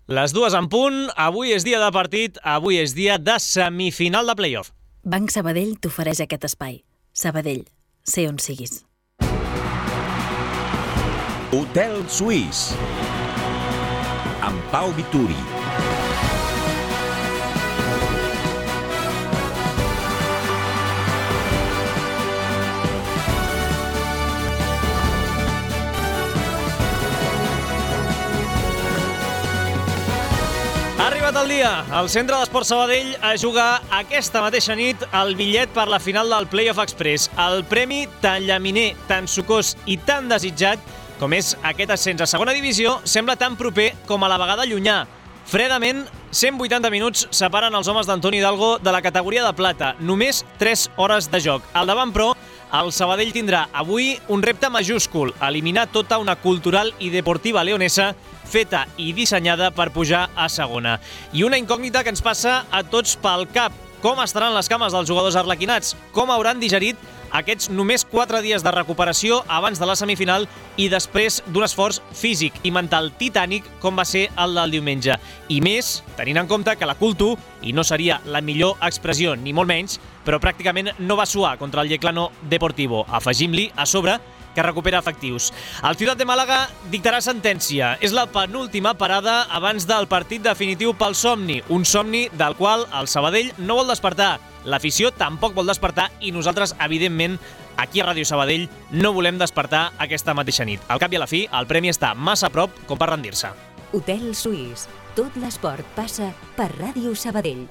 Les 2 en punt, avui és dia de partit, avui és dia de semifinal de playoff. Banc Sabadell t'ofereix aquest espai. Sabadell, sé on siguis. Hotel Suís amb Pau Vituri. Ha arribat el dia. El Centre d'Esports Sabadell a jugar aquesta mateixa nit el bitllet per la final del Playoff Express. El premi tan llaminer, tan sucós i tan desitjat com és aquest ascens a segona divisió sembla tan proper com a la vegada llunyà. Fredament, 180 minuts separen els homes d'Antoni Hidalgo de la categoria de plata. Només 3 hores de joc. Al davant, però, el Sabadell tindrà avui un repte majúscul: eliminar tota una cultural i deportiva leonesa feta i dissenyada per pujar a segona. I una incògnita que ens passa a tots pel cap: com estaran les cames dels jugadors arlequinats? Com hauran digerit aquests només 4 dies de recuperació abans de la semifinal i després d'un esforç físic i mental titànic com va ser el del diumenge? I més, tenint en compte que la Cultu, i no seria la millor expressió ni molt menys, però pràcticament no va suar contra el Yeclano Deportivo. Afegim-li, a sobre, que recupera efectius. El Ciutat de Màlaga dictarà sentència. És la penúltima parada abans del partit definitiu pel somni. Un somni del qual el Sabadell no vol despertar. L'afició tampoc vol despertar i nosaltres, evidentment, aquí a Ràdio Sabadell no volem despertar aquesta mateixa nit. Al cap i a la fi, el premi està massa a prop com per rendir-se. Hotel Suís. Tot l'esport passa per Ràdio Sabadell.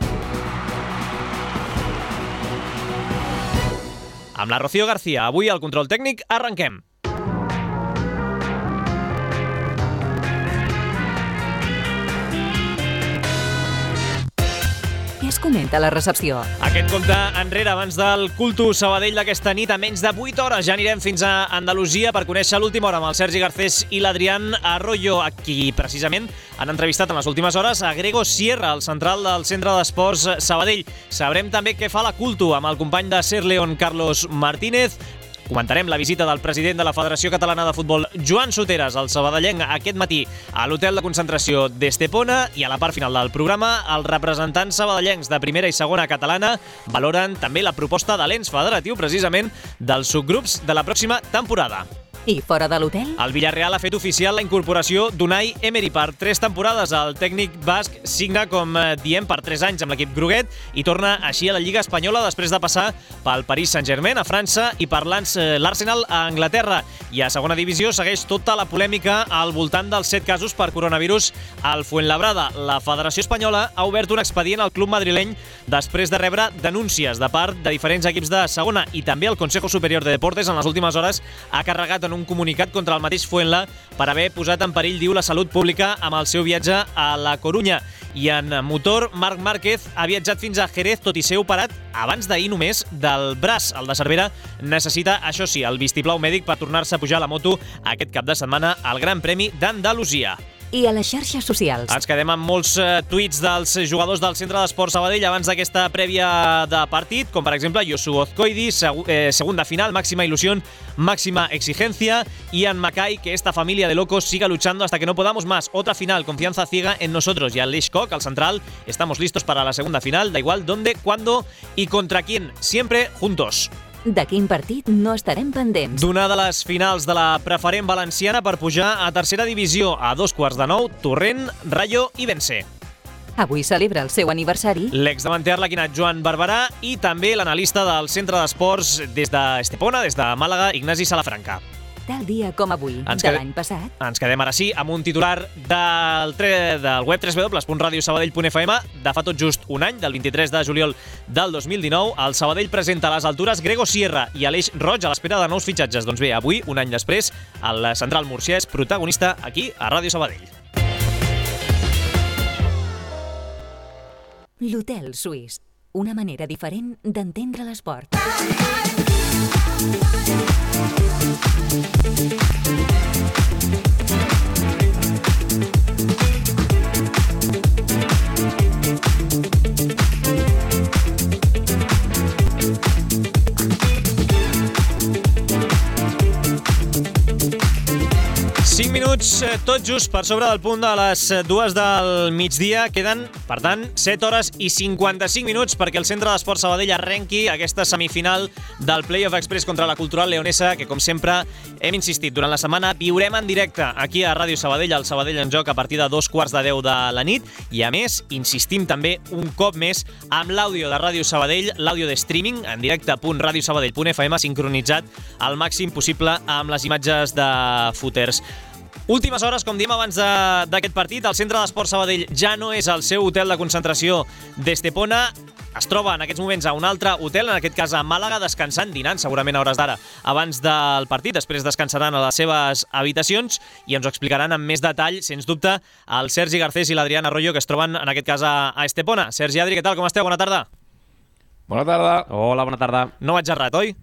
Amb la Rocío García, avui al control tècnic, arrenquem. Què es comenta a la recepció? Aquest compte enrere abans del Cultu Sabadell d'aquesta nit. A menys de 8 hores ja anirem fins a Andalusia per conèixer l'última hora amb el Sergi Garcés i l'Adrián Arroyo, a qui precisament han entrevistat en les últimes hores a Grego Sierra, el central del Centre d'Esports Sabadell. Sabrem també què fa la Cultu amb el company de Ser León, Carlos Martínez. Comentarem la visita del president de la Federació Catalana de Futbol, Joan Soteras, al sabadellenc aquest matí a l'hotel de concentració d'Estepona, i a la part final del programa els representants sabadellencs de primera i segona catalana valoren també la proposta de l'ens federatiu precisament dels subgrups de la pròxima temporada. I fora de l'hotel? El Villarreal ha fet oficial la incorporació d'Unai Emery per 3 temporades. El tècnic basc signa, com diem, per 3 anys amb l'equip groguet i torna així a la Lliga Espanyola després de passar pel Paris Saint-Germain a França i per l'Arsenal a Anglaterra. I a segona divisió segueix tota la polèmica al voltant dels 7 casos per coronavirus al Fuenlabrada. La Federació Espanyola ha obert un expedient al club madrileny després de rebre denúncies de part de diferents equips de segona, i també el Consejo Superior de Deportes en les últimes hores ha carregat un comunicat contra el mateix Fuenla per haver posat en perill, diu, la salut pública amb el seu viatge a la Corunya. I en motor, Marc Márquez ha viatjat fins a Jerez, tot i ser operat abans d'ahir només del braç. El de Cervera necessita, això sí, el vistiplau mèdic per tornar-se a pujar a la moto aquest cap de setmana al Gran Premi d'Andalusia. I a les xarxes socials? Ens quedem amb molts tuits dels jugadors del Centre d'Esports Sabadell abans d'aquesta prèvia de partit, com per exemple Yosu Ozcoidi, segunda final, máxima ilusión, máxima exigencia. Ian Mackay, que esta familia de locos siga luchando hasta que no podamos más. Otra final, confianza ciega en nosotros. Y Aleix Koch, al central, estamos listos para la segunda final, da igual dónde, cuándo y contra quién, siempre juntos. De quin partit no estarem pendents? D'una de les finals de la preferent valenciana per pujar a tercera divisió. A 8:45, Torrent, Rayo i Vence. Avui celebra el seu aniversari l'exdavanter arlequinat Joan Barberà i també l'analista del Centre d'Esports des d'Estepona, des de Màlaga, Ignasi Salafranca. Tal dia com avui, de l'any passat. Ens quedem ara sí amb un titular del web www.radiosabadell.fm de fa tot just un any, del 23 de juliol del 2019. El Sabadell presenta a les altures Grego Sierra i Aleix Roig a l'espera de nous fitxatges. Doncs bé, avui, un any després, el central murcià és protagonista aquí a Ràdio Sabadell. L'Hotel Suís. Una manera diferent d'entendre l'esport. tot just per sobre del punt de les 2 del migdia. Queden, per tant, 7 hores i 55 minuts perquè el Centre d'Esports Sabadell arrenqui aquesta semifinal del Playoff Express contra la Cultural Leonesa, que, com sempre, hem insistit durant la setmana, viurem en directe aquí a Ràdio Sabadell, al Sabadell en Joc, a partir de 2:15 de la nit. I, a més, insistim també un cop més amb l'àudio de Ràdio Sabadell, l'àudio de streaming, en directe.radiosabadell.fm, sincronitzat al màxim possible amb les imatges de footers. Últimes hores, com diem abans d'aquest partit, el Centre d'Esports Sabadell ja no és el seu hotel de concentració d'Estepona. Es troba en aquests moments a un altre hotel, en aquest cas a Màlaga, descansant, dinant segurament a hores d'ara abans del partit. Després descansaran a les seves habitacions i ens ho explicaran amb més detall, sens dubte, el Sergi Garcés i l'Adrián Arroyo, que es troben en aquest cas a Estepona. Sergi, Adri, què tal? Com esteu? Bona tarda. Bona tarda. Hola, bona tarda. No vaig errat, oi?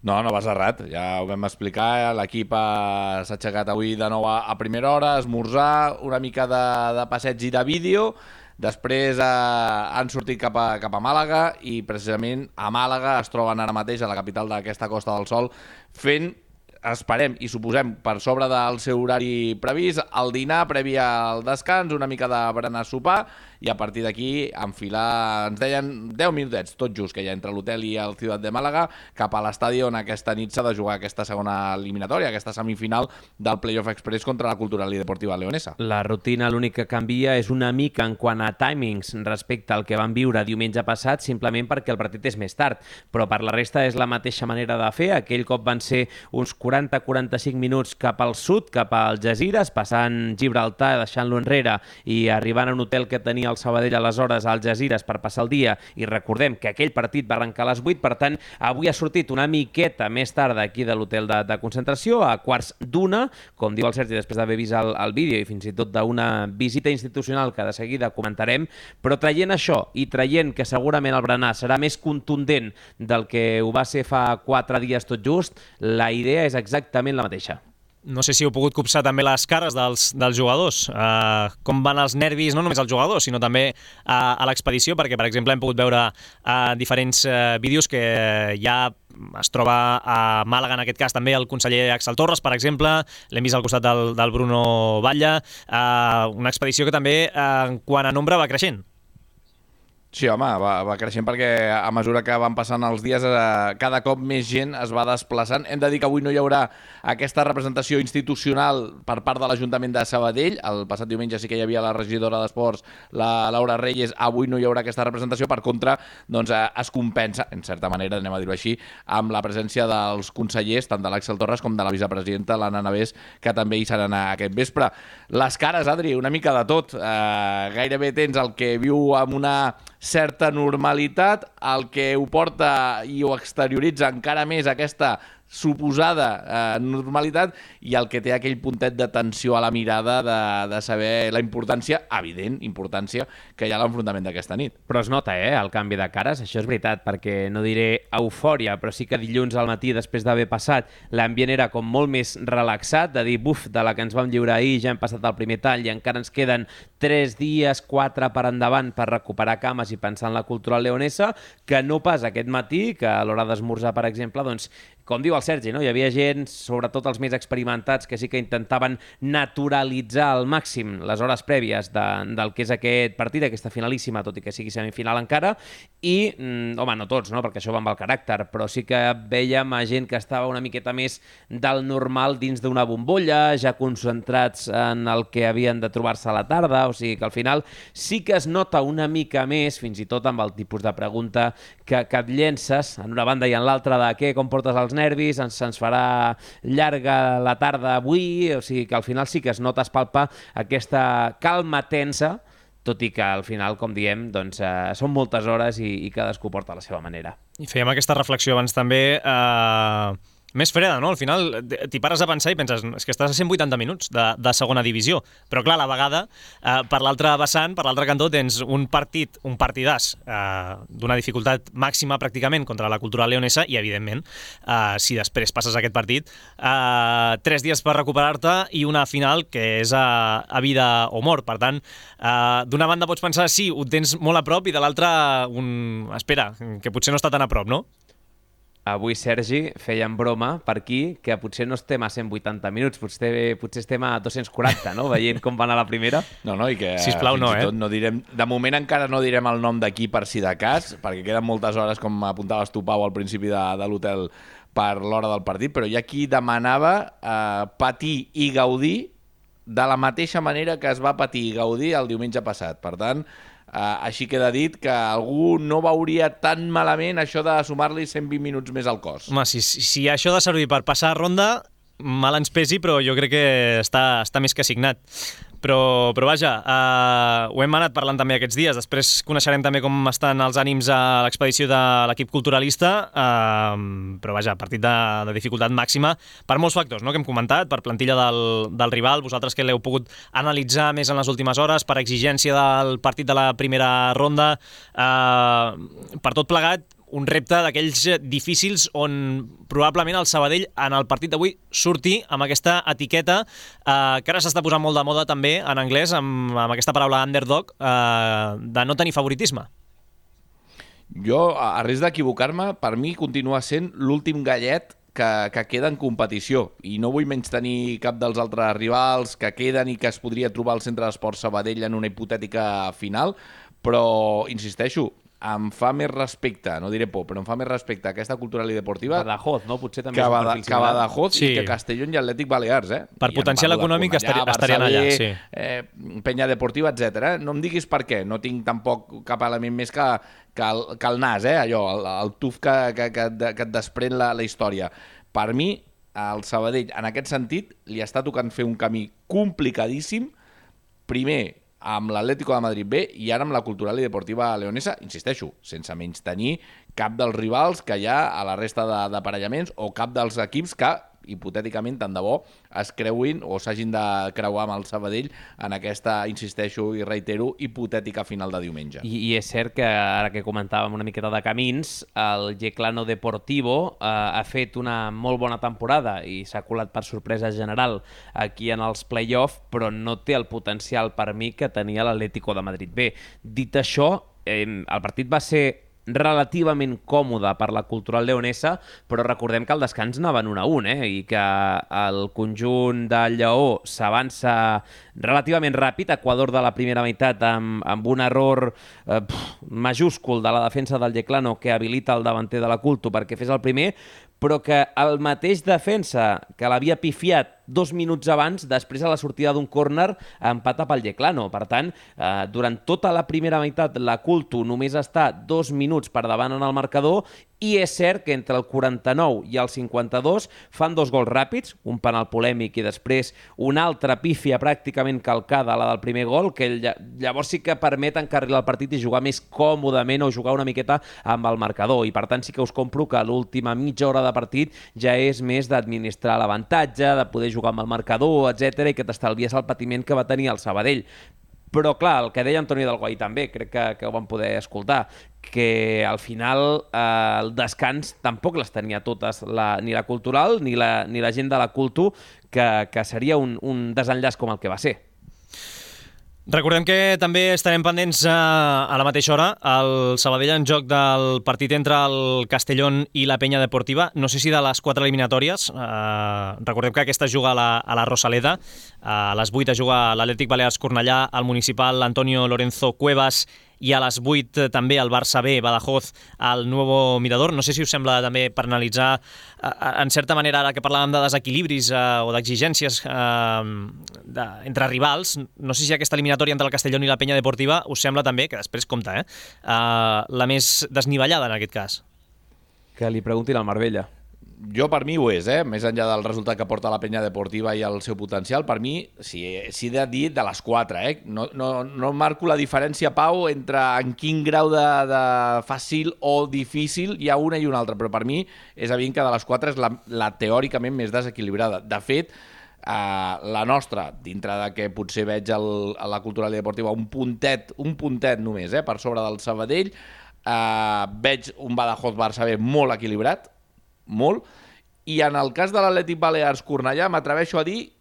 No vas errat, ja ho vam explicar, l'equip s'ha aixecat avui de nou a primera hora, esmorzar, una mica de passeig i de vídeo, després han sortit cap a Màlaga i precisament a Màlaga es troben ara mateix, a la capital d'aquesta Costa del Sol, fent, esperem i suposem, per sobre del seu horari previst, el dinar previ al descans, una mica de berenar sopar, i a partir d'aquí enfilar, ens deien 10 minutets, tot just, que hi ha entre l'hotel i el Ciutat de Màlaga, cap a l'estadi on aquesta nit s'ha de jugar aquesta segona eliminatòria, aquesta semifinal del Playoff Express contra la Cultural i Deportiva Leonesa. La rutina l'únic que canvia és una mica en quant a timings respecte al que vam viure diumenge passat, simplement perquè el partit és més tard, però per la resta és la mateixa manera de fer. Aquell cop van ser uns 40-45 minuts cap al sud, cap al Algesires, passant Gibraltar, deixant-lo enrere i arribant a un hotel que tenia el Sabadell aleshores a Algesires per passar el dia, i recordem que aquell partit va arrencar a les 8, per tant, avui ha sortit una miqueta més tard d'aquí de l'hotel de concentració, a 1:15, com diu el Sergi, després d'haver vist el vídeo i fins i tot d'una visita institucional que de seguida comentarem, però traient això i traient que segurament el berenar serà més contundent del que ho va ser fa 4 dies tot just, la idea és exactament la mateixa. No sé si heu pogut copsar també les cares dels jugadors, com van els nervis, no només als jugadors, sinó també a l'expedició, perquè, per exemple, hem pogut veure diferents vídeos que ja es troba a Màlaga, en aquest cas també el conseller Axel Torres, per exemple, l'hem vist al costat del Bruno Batlle, una expedició que també, quant a nombre, va creixent. Sí, home, va creixent perquè a mesura que van passant els dies cada cop més gent es va desplaçant. Hem de dir que avui no hi haurà aquesta representació institucional per part de l'Ajuntament de Sabadell. El passat diumenge sí que hi havia la regidora d'Esports, la Laura Reyes. Avui no hi haurà aquesta representació. Per contra, doncs, es compensa, en certa manera, anem a dir-ho així, amb la presència dels consellers, tant de l'Àxel Torres com de la vicepresidenta, l'Anna Navés, que també hi seran aquest vespre. Les cares, Adri, una mica de tot. Gairebé tens el que viu amb una certa normalitat, el que ho porta i ho exterioritza encara més aquesta suposada normalitat, i el que té aquell puntet de tensió a la mirada de saber la importància, evident importància, que hi ha a l'enfrontament d'aquesta nit. Però es nota, el canvi de cares, això és veritat, perquè no diré eufòria, però sí que dilluns al matí, després d'haver passat, l'ambient era com molt més relaxat, de dir, buf, de la que ens vam lliurar ahir, ja hem passat el primer tall i encara ens queden 3 dies, 4 per endavant per recuperar cames i pensar en la Cultural Leonesa, que no pas aquest matí, que a l'hora d'esmorzar, per exemple, doncs, com diu el Sergi, no? Hi havia gent, sobretot els més experimentats, que sí que intentaven naturalitzar al màxim les hores prèvies del que és aquest partit, aquesta finalíssima, tot i que sigui semifinal encara, i, home, no tots, no? Perquè això va amb el caràcter, però sí que vèiem a gent que estava una miqueta més del normal dins d'una bombolla, ja concentrats en el que havien de trobar-se a la tarda, o sigui que al final sí que es nota una mica més, fins i tot amb el tipus de pregunta que et llences en una banda i en l'altra de què, com portes els nervis, se'ns farà llarga la tarda avui, o sigui que al final sí que es nota, es palpa aquesta calma tensa, tot i que al final, com diem, doncs, són moltes hores i cadascú porta a la seva manera. I fèiem aquesta reflexió abans també, més freda, no? Al final t'hi pares a pensar i penses, és que estàs a 180 minuts de segona divisió, però clar, a la vegada, per l'altre vessant, per l'altre cantó, tens un partidàs d'una dificultat màxima pràcticament contra la Cultural Leonesa i, evidentment, si després passes aquest partit, 3 dies per recuperar-te i una final que és a vida o mort. Per tant, d'una banda pots pensar, sí, ho tens molt a prop, i de l'altra, espera, que potser no està tan a prop, no? avui, Sergi, feien broma per aquí que potser no estem a 180 minuts, potser estem a 240, no? Veient com va anar la primera. No, i que Sisplau, fins i tot no direm... De moment encara no direm el nom d'aquí per si de cas, perquè queden moltes hores, com apuntaves tu, Pau, al principi de l'hotel per l'hora del partit, però hi ha qui demanava patir i gaudir de la mateixa manera que es va patir i gaudir el diumenge passat. Per tant, així queda dit que algú no veuria tan malament això de sumar-li 120 minuts més al cos. Home, si això ha de servir per passar ronda, mal ens pesi, però jo crec que està més que signat. Però vaja, ho hem anat parlant també aquests dies. Després coneixerem també com estan els ànims a l'expedició de l'equip culturalista, però vaja, partit de dificultat màxima per molts factors, no?, que hem comentat, per plantilla del rival, vosaltres que l'heu pogut analitzar més en les últimes hores, per exigència del partit de la primera ronda, per tot plegat, un repte d'aquells difícils on probablement el Sabadell en el partit d'avui surti amb aquesta etiqueta que ara s'està posant molt de moda també en anglès, amb aquesta paraula underdog, de no tenir favoritisme. Jo, a risc d'equivocar-me, per mi continua sent l'últim gallet que queda en competició, i no vull menystenir cap dels altres rivals que queden i que es podria trobar al Centre d'Esports Sabadell en una hipotètica final, però insisteixo, em fa més respecte, no diré por, però em fa més respecte a aquesta cultural i deportiva Badajoz, no? Potser també que Badajoz sí. I que Castellón i Atlètic Balears, Per potencial econòmic estarien allà, sí. Penya Deportiva, etc. No em diguis per què, no tinc tampoc cap element més que el nas, allò, el tuf que et desprèn la història. Per mi, el Sabadell, en aquest sentit, li està tocant fer un camí complicadíssim, primer amb l'Atlético de Madrid B i ara amb la Cultural i Deportiva Leonesa, insisteixo, sense menys tenir cap dels rivals que hi ha a la resta d'aparellaments o cap dels equips que, hipotèticament, tant de bo, es creuin o s'hagin de creuar amb el Sabadell en aquesta, insisteixo i reitero, hipotètica final de diumenge. I és cert que, ara que comentàvem una miqueta de camins, el Yeclano Deportivo ha fet una molt bona temporada i s'ha colat per sorpresa general aquí en els play-off, però no té el potencial per mi que tenia l'Atlético de Madrid B. Dit això, el partit va ser relativament còmode per la Cultural Leonesa, però recordem que el descans anaven 1-1, i que el conjunt del Lleó s'avança relativament ràpid, Equador de la primera meitat amb un error majúscul de la defensa del Yeclano que habilita el davanter de la Culto perquè fes el primer, però que el mateix defensa que l'havia pifiat 2 minuts abans, després a la sortida d'un córner, empata pel Yeclano. Per tant, durant tota la primera meitat, la Culto només està 2 minuts per davant en el marcador, i és cert que entre el 49 i el 52 fan 2 gols ràpids, un penal polèmic i després una altra pífia pràcticament calcada a la del primer gol, que llavors sí que permet encarrilar el partit i jugar més còmodament o jugar una miqueta amb el marcador. I per tant sí que us compro que l'última mitja hora de partit ja és més d'administrar l'avantatge, de poder jugar amb el marcador, etc, i que t'estalvies el patiment que va tenir el Sabadell. Però, clar, el que deia Antoni del Guai també, crec que ho vam poder escoltar, que al final el descans tampoc les tenia totes, ni la Cultural ni la gent de la Culto, que seria un desenllaç com el que va ser. Recordem que també estarem pendents a la mateixa hora el Sabadell en joc del partit entre el Castellón i la Penya Deportiva. No sé si de les 4 eliminatòries. Recordem que aquesta es juga a la Rosaleda. A les 8 es juga l'Atlètic Balears Cornellà, al Municipal Antonio Lorenzo Cuevas, i a les 8 també el Barça B, Badajoz, al Nuevo Mirador. No sé si us sembla també per analitzar, en certa manera, ara que parlàvem de desequilibris o d'exigències entre rivals, no sé si aquesta eliminatòria entre el Castellón i la Penya Deportiva us sembla també, que després compta, la més desnivellada en aquest cas. Que li preguntin al Marbella. Jo, per mi, ho és, més enllà del resultat que porta la Penya Deportiva i el seu potencial, per mi, si he de dir, de les 4, No marco la diferència, Pau, entre en quin grau de fàcil o difícil hi ha una i una altra, però per mi és evident que de les 4 és la teòricament més desequilibrada. De fet, la nostra, dintre de que potser veig a la Cultural i Deportiva un puntet només, per sobre del Sabadell, veig un Badajoz-Barça B molt equilibrat, molt, i en el cas de l'Atlètic Balears Cornellà m'atreveixo a dir,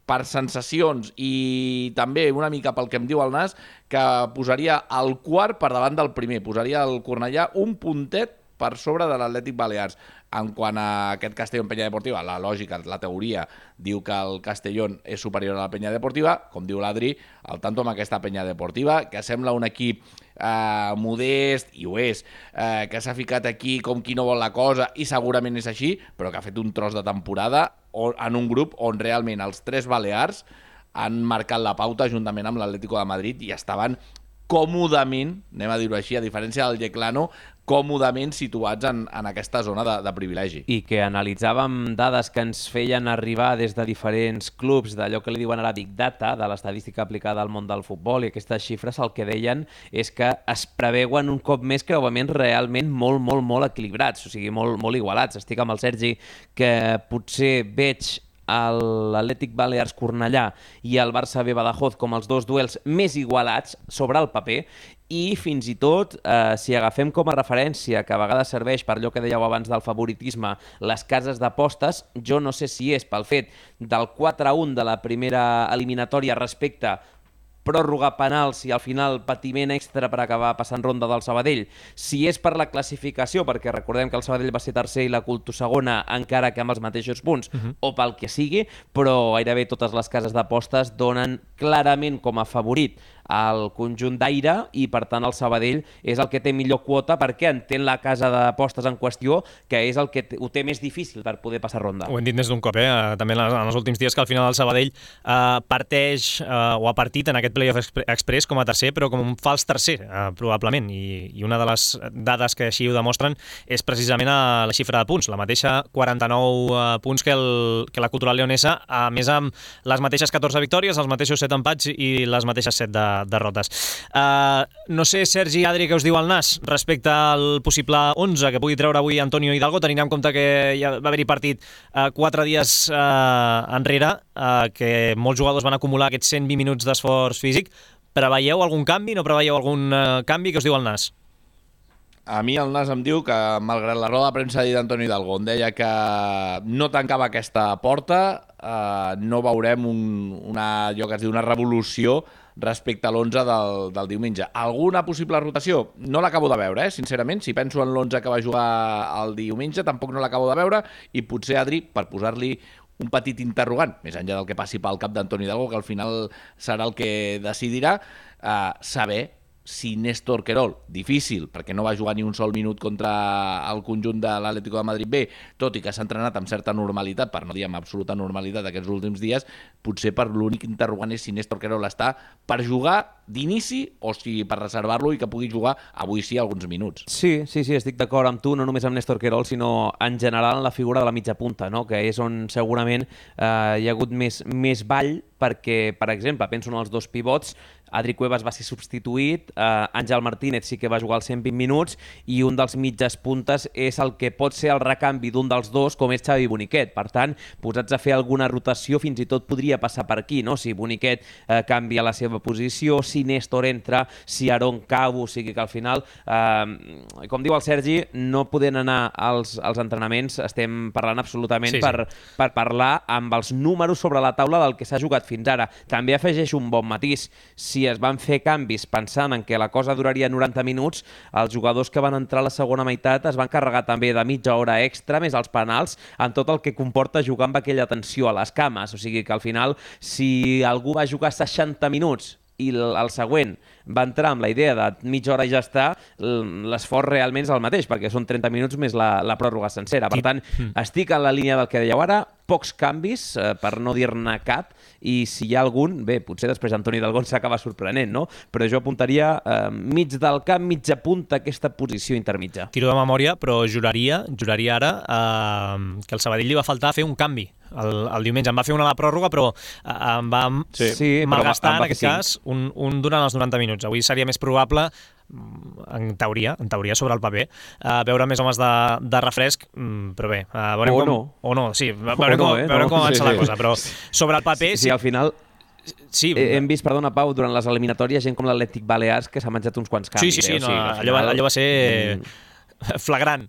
per sensacions i també una mica pel que em diu el nas, que posaria el quart per davant del primer, posaria el Cornellà un puntet per sobre de l'Atlètic Balears. En quant a aquest Castellón Peña Deportiva, la lògica, la teoria, diu que el Castellón és superior a la Peña Deportiva, com diu l'Adri, al tanto amb aquesta Peña Deportiva, que sembla un equip modest, i ho és, que s'ha ficat aquí com qui no vol la cosa, i segurament és així, però que ha fet un tros de temporada en un grup on realment els 3 balears han marcat la pauta juntament amb l'Atlético de Madrid i estaven còmodament, anem a dir-ho així, a diferència del Yeclano, còmodament situats en aquesta zona de privilegi. I que analitzàvem dades que ens feien arribar des de diferents clubs d'allò que li diuen ara Big Data, de l'estadística aplicada al món del futbol, i aquestes xifres el que deien és que es preveuen un cop més creuaments realment molt equilibrats, o sigui, molt igualats. Estic amb el Sergi, que potser veig l'Atlètic Balears Cornellà i el Barça B Badajoz com els 2 duels més igualats sobre el paper, i fins i tot, si agafem com a referència, que a vegades serveix per allò que dèieu abans del favoritisme, les cases d'apostes, jo no sé si és pel fet del 4-1 de la primera eliminatòria respecte pròrroga, penals i al final patiment extra per acabar passant ronda del Sabadell, si és per la classificació, perquè recordem que el Sabadell va ser tercer i la Culto segona, encara que amb els mateixos punts, o pel que sigui, però gairebé totes les cases d'apostes donen clarament com a favorit al conjunt d'Aire i, per tant, el Sabadell és el que té millor quota perquè entén la casa d'apostes en qüestió, que és el que ho té més difícil per poder passar ronda. Ho hem dit més d'un cop, també en els últims dies, que al final el Sabadell parteix o ha partit en aquest Playoff Express com a tercer, però com un fals tercer, probablement, i una de les dades que així ho demostren és precisament la xifra de punts, la mateixa 49 punts que la Cultural Leonesa, a més amb les mateixes 14 victòries, els mateixos 7 empats i les mateixes 7 derrotes. No sé, Sergi, Adri, què us diu el Nas respecte al possible 11 que pugui treure avui Antonio Hidalgo, tenint en compte que ja va haver-hi partit 4 dies enrere, que molts jugadors van acumular aquests 120 minuts d'esforç físic. Preveieu algun canvi? No preveieu algun canvi? Què us diu el Nas? A mi el Nas em diu que, malgrat la roda de premsa d'Antonio Hidalgo, on deia que no tancava aquesta porta, no veurem allò que es diu una revolució respecte a l'11 del diumenge. Alguna possible rotació? No l'acabo de veure, sincerament. Si penso en l'11 que va jugar el diumenge, tampoc no l'acabo de veure, i potser, Adri, per posar-li un petit interrogant, més enllà del que passi pel cap d'Antoni Hidalgo, que al final serà el que decidirà, saber si Néstor Querol, difícil, perquè no va jugar ni un sol minut contra el conjunt de l'Atlético de Madrid B, tot i que s'ha entrenat amb certa normalitat, per no dir amb absoluta normalitat aquests últims dies, potser per l'únic interrogant és si Néstor Querol està per jugar d'inici o si per reservar-lo i que pugui jugar avui sí alguns minuts. Sí, estic d'acord amb tu, no només amb Néstor Querol, sinó en general en la figura de la mitja punta, no? Que és on segurament hi ha hagut més ball, perquè, per exemple, penso en els 2 pivots, Adri Cuevas va ser substituït, Àngel Martínez sí que va jugar els 120 minuts i un dels mitges puntes és el que pot ser el recanvi d'un dels 2, com és Xavi Boniquet. Per tant, posats a fer alguna rotació, fins i tot podria passar per aquí, no? Si Boniquet canvia la seva posició, si Néstor entra, si Aarón cau, o sigui que al final, com diu el Sergi, no podent anar als entrenaments, estem parlant absolutament per parlar amb els números sobre la taula del que s'ha jugat fins ara. També afegeix un bon matís. Si es van fer canvis pensant en que la cosa duraria 90 minuts, els jugadors que van entrar a la segona meitat es van carregar també de mitja hora extra, més els penals, amb tot el que comporta jugar amb aquella tensió a les cames. O sigui que al final, si algú va jugar 60 minuts i el següent va entrar amb la idea de mitja hora i ja està, l'esforç realment és el mateix, perquè són 30 minuts més la pròrroga sencera. Per tant, estic en la línia del que dèieu ara, pocs canvis, per no dir-ne cap, i si hi ha algun, bé, potser després Antoni Hidalgo s'acaba sorprenent, no? Però jo apuntaria mig del camp, mitja punta, aquesta posició intermitja. Tiro de memòria, però juraria ara que el Sabadell li va faltar fer un canvi el diumenge. Em va fer una a la pròrroga, però em va malgastar, en aquest cas, un durant els 90 minuts. Avui seria més probable, en teoria sobre el paper, veure més homes de refresc, però bé, veurem com avança la cosa, però sobre el paper... Sí, al final... Sí, hem vist, perdona, Pau, durant les eliminatòries gent com l'Atlètic Balears que s'ha menjat uns quants canvis. Sí, allò va ser... flagrant,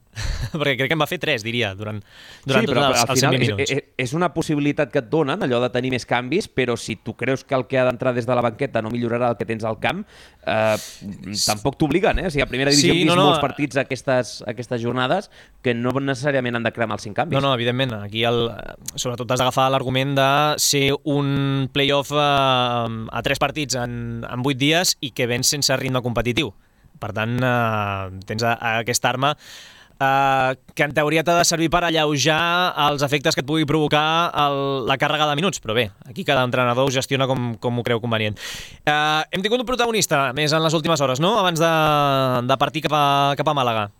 perquè crec que en va fer 3, diria, durant sí, tots els 120 minuts. És una possibilitat que et donen, allò de tenir més canvis, però si tu creus que el que ha d'entrar des de la banqueta no millorarà el que tens al camp, tampoc t'obliguen, eh? O sigui, a primera divisió hem vist molts partits aquestes jornades que no necessàriament han de cremar els 5 canvis. No, evidentment. Aquí sobretot has d'agafar l'argument de ser un play-off a 3 partits en 8 dies i que vens sense ritme competitiu. Per tant, tens aquesta arma que en teoria t'ha de servir per alleujar els efectes que et pugui provocar la càrrega de minuts, però bé, aquí cada entrenador ho gestiona com ho creu convenient. Hem tingut un protagonista més en les últimes hores, no?, abans de partir cap a Màlaga.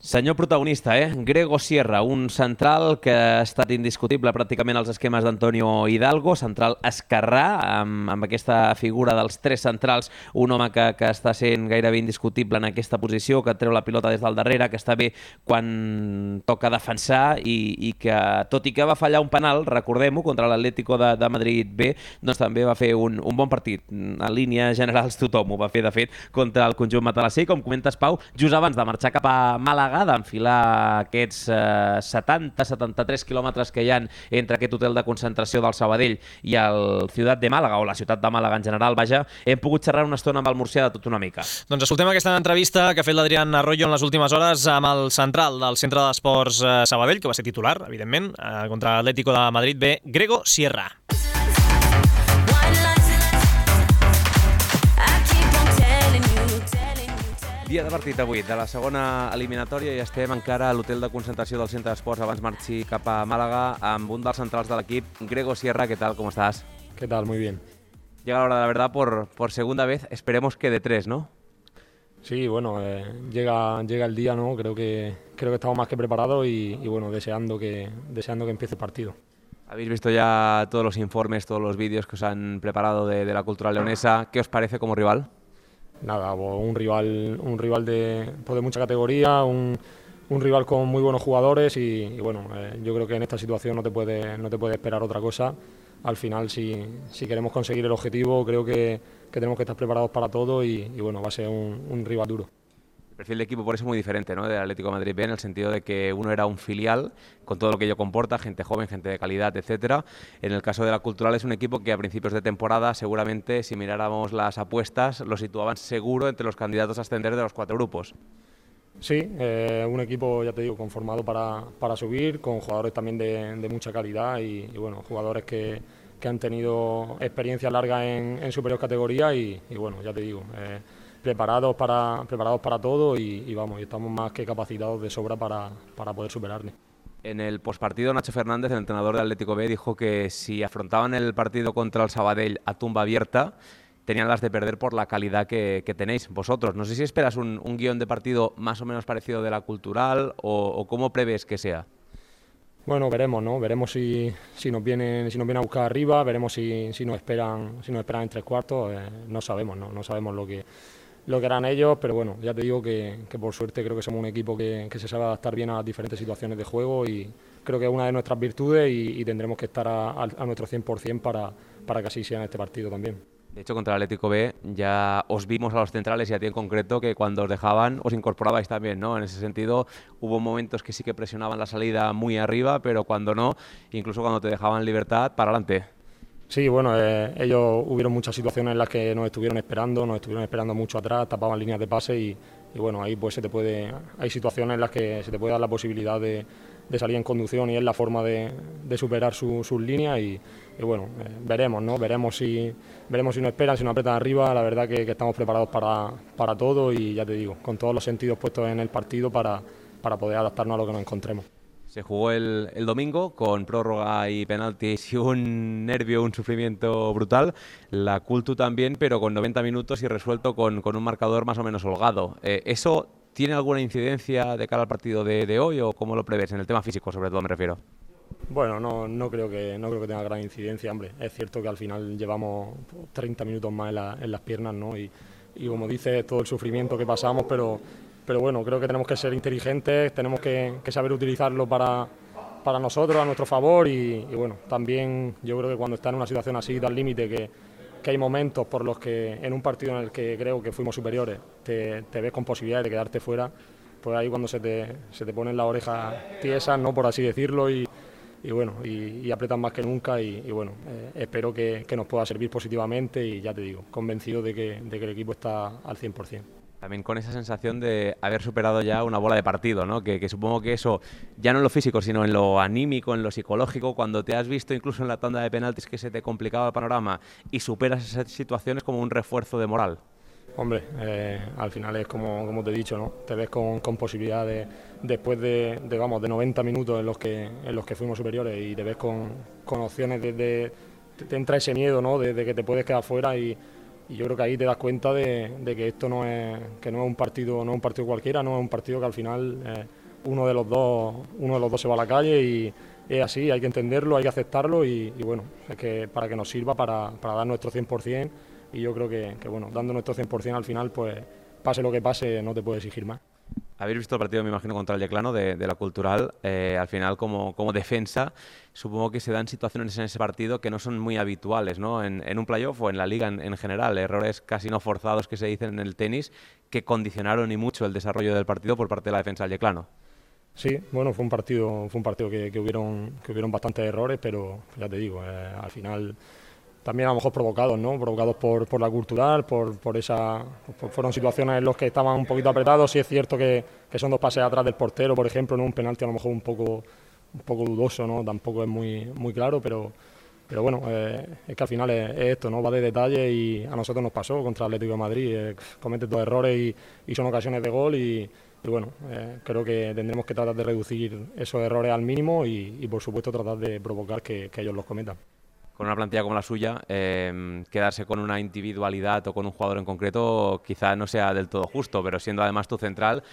Senyor protagonista, Grego Sierra, un central que ha estat indiscutible pràcticament als esquemes d'Antonio Hidalgo, central esquerrà, amb aquesta figura dels 3 centrals, un home que està sent gairebé indiscutible en aquesta posició, que treu la pilota des del darrere, que està bé quan toca defensar i que, tot i que va fallar un penal, recordem-ho, contra l'Atlético de Madrid B, doncs també va fer un bon partit. En línies generals tothom ho va fer, de fet, contra el conjunt matalasser. Com comentes, Pau, just abans de marxar cap a Màlaga, d'enfilar aquests 70-73 quilòmetres que hi ha entre aquest hotel de concentració del Sabadell i el Ciutat de Màlaga, o la ciutat de Màlaga en general, vaja, hem pogut xerrar una estona amb el murcià de tot una mica. Doncs escoltem aquesta entrevista que ha fet l'Adrián Arroyo en les últimes hores amb el central del Centre d'Esports Sabadell, que va ser titular, evidentment, contra l'Atlético de Madrid B, Grego Sierra. Dia de partit avui, de la segona eliminatòria, i estem encara a l'hotel de concentració del Centre d'Esports abans marxi cap a Màlaga amb un dels centrals de l'equip, Grego Sierra. ¿Qué tal? ¿Cómo estás? ¿Qué tal? Muy bien. Llega la hora de la verdad por segunda vez, esperemos que de 3, ¿no? Sí, bueno, llega el día, ¿no? Creo que estamos más que preparados y bueno, deseando que empiece el partido. Habéis visto ya todos los informes, todos los vídeos que os han preparado de la cultura leonesa. ¿Qué os parece como rival? Nada, un rival de mucha categoría, un rival con muy buenos jugadores y bueno, yo creo que en esta situación no te puede esperar otra cosa. Al final, si queremos conseguir el objetivo, creo que tenemos que estar preparados para todo y bueno, va a ser un rival duro. El perfil de equipo por eso es muy diferente, ¿no?, del Atlético de Madrid B, en el sentido de que uno era un filial con todo lo que ello comporta, gente joven, gente de calidad, etcétera. En el caso de la Cultural es un equipo que a principios de temporada, seguramente, si miráramos las apuestas, lo situaban seguro entre los candidatos a ascender de los 4 grupos. Sí, un equipo, ya te digo, conformado para subir, con jugadores también de mucha calidad y bueno, jugadores que han tenido experiencia larga en superior categoría y bueno, ya te digo, preparados para todo y vamos, y estamos más que capacitados de sobra para poder superarle. En el postpartido, Nacho Fernández, el entrenador del Atlético B, dijo que si afrontaban el partido contra el Sabadell a tumba abierta, tenían las de perder por la calidad que tenéis vosotros. No sé si esperas un guión de partido más o menos parecido de la Cultural o cómo prevés que sea. Bueno, veremos, ¿no? Veremos si nos vienen a buscar arriba, veremos si nos esperan en 3 cuartos. No sabemos, ¿no? No sabemos lo que harán ellos, pero bueno, ya te digo que por suerte creo que somos un equipo que se sabe adaptar bien a las diferentes situaciones de juego y creo que es una de nuestras virtudes y tendremos que estar a nuestro 100% para que así sea en este partido también. De hecho, contra el Atlético B ya os vimos a los centrales y a ti en concreto que cuando os dejaban os incorporabais también, ¿no? En ese sentido hubo momentos que sí que presionaban la salida muy arriba, pero cuando no, incluso cuando te dejaban libertad, para adelante. Sí, bueno, ellos hubieron muchas situaciones en las que nos estuvieron esperando mucho atrás, tapaban líneas de pase y bueno, ahí pues hay situaciones en las que se te puede dar la posibilidad de salir en conducción y es la forma de superar sus líneas y bueno, veremos, ¿no? Veremos si nos esperan, si nos apretan arriba. La verdad que estamos preparados para todo y ya te digo, con todos los sentidos puestos en el partido para poder adaptarnos a lo que nos encontremos. Se jugó el domingo con prórroga y penaltis y un nervio, un sufrimiento brutal. La Cultu también, pero con 90 minutos y resuelto con un marcador más o menos holgado. ¿Eso tiene alguna incidencia de cara al partido de hoy o cómo lo prevés? En el tema físico, sobre todo, me refiero. Bueno, no creo que tenga gran incidencia, hombre. Es cierto que al final llevamos 30 minutos más en las piernas, ¿no? Y como dices, todo el sufrimiento que pasamos, pero bueno, creo que tenemos que ser inteligentes, tenemos que saber utilizarlo para nosotros, a nuestro favor y bueno, también yo creo que cuando estás en una situación así, al límite, que hay momentos por los que en un partido en el que creo que fuimos superiores te ves con posibilidades de quedarte fuera, pues ahí cuando se te ponen las orejas tiesas, ¿no? Por así decirlo, y bueno, y apretan más que nunca y bueno, espero que nos pueda servir positivamente y ya te digo, convencido de que el equipo está al 100%. También con esa sensación de haber superado ya una bola de partido, ¿no? Que supongo que eso, ya no en lo físico, sino en lo anímico, en lo psicológico, cuando te has visto incluso en la tanda de penaltis que se te complicaba el panorama y superas esas situaciones como un refuerzo de moral. Hombre, al final es como te he dicho, ¿no? Te ves con posibilidades después de 90 minutos en los que fuimos superiores y te ves con opciones te entra ese miedo, ¿no? De que te puedes quedar fuera y yo creo que ahí te das cuenta de que esto no es un partido cualquiera, no es un partido que al final uno de los dos se va a la calle y es así, hay que entenderlo, hay que aceptarlo y bueno, es que para que nos sirva para dar nuestro 100%. Y yo creo que bueno, dando nuestro 100% al final, pues pase lo que pase, no te puedes exigir más. Habéis visto el partido, me imagino, contra el Yeclano de la Cultural. Al final, como defensa, supongo que se dan situaciones en ese partido que no son muy habituales, ¿no? En un playoff o en la liga en general, errores casi no forzados que se dicen en el tenis que condicionaron y mucho el desarrollo del partido por parte de la defensa del Yeclano. Sí, bueno, fue un partido que hubieron bastantes errores, pero ya te digo, al final también a lo mejor provocados, ¿no? Provocados por la Cultural, fueron situaciones en las que estaban un poquito apretados. Sí es cierto que son dos pases atrás del portero, por ejemplo, en un penalti a lo mejor un poco dudoso, ¿no? Tampoco es muy claro, pero bueno, es que al final es esto, ¿no? Va de detalle y a nosotros nos pasó contra el Atlético de Madrid. Cometes dos errores y son ocasiones de gol y bueno, creo que tendremos que tratar de reducir esos errores al mínimo y por supuesto tratar de provocar que ellos los cometan. Con una plantilla como la suya, quedarse con una individualidad o con un jugador en concreto quizá no sea del todo justo, pero siendo además tu central,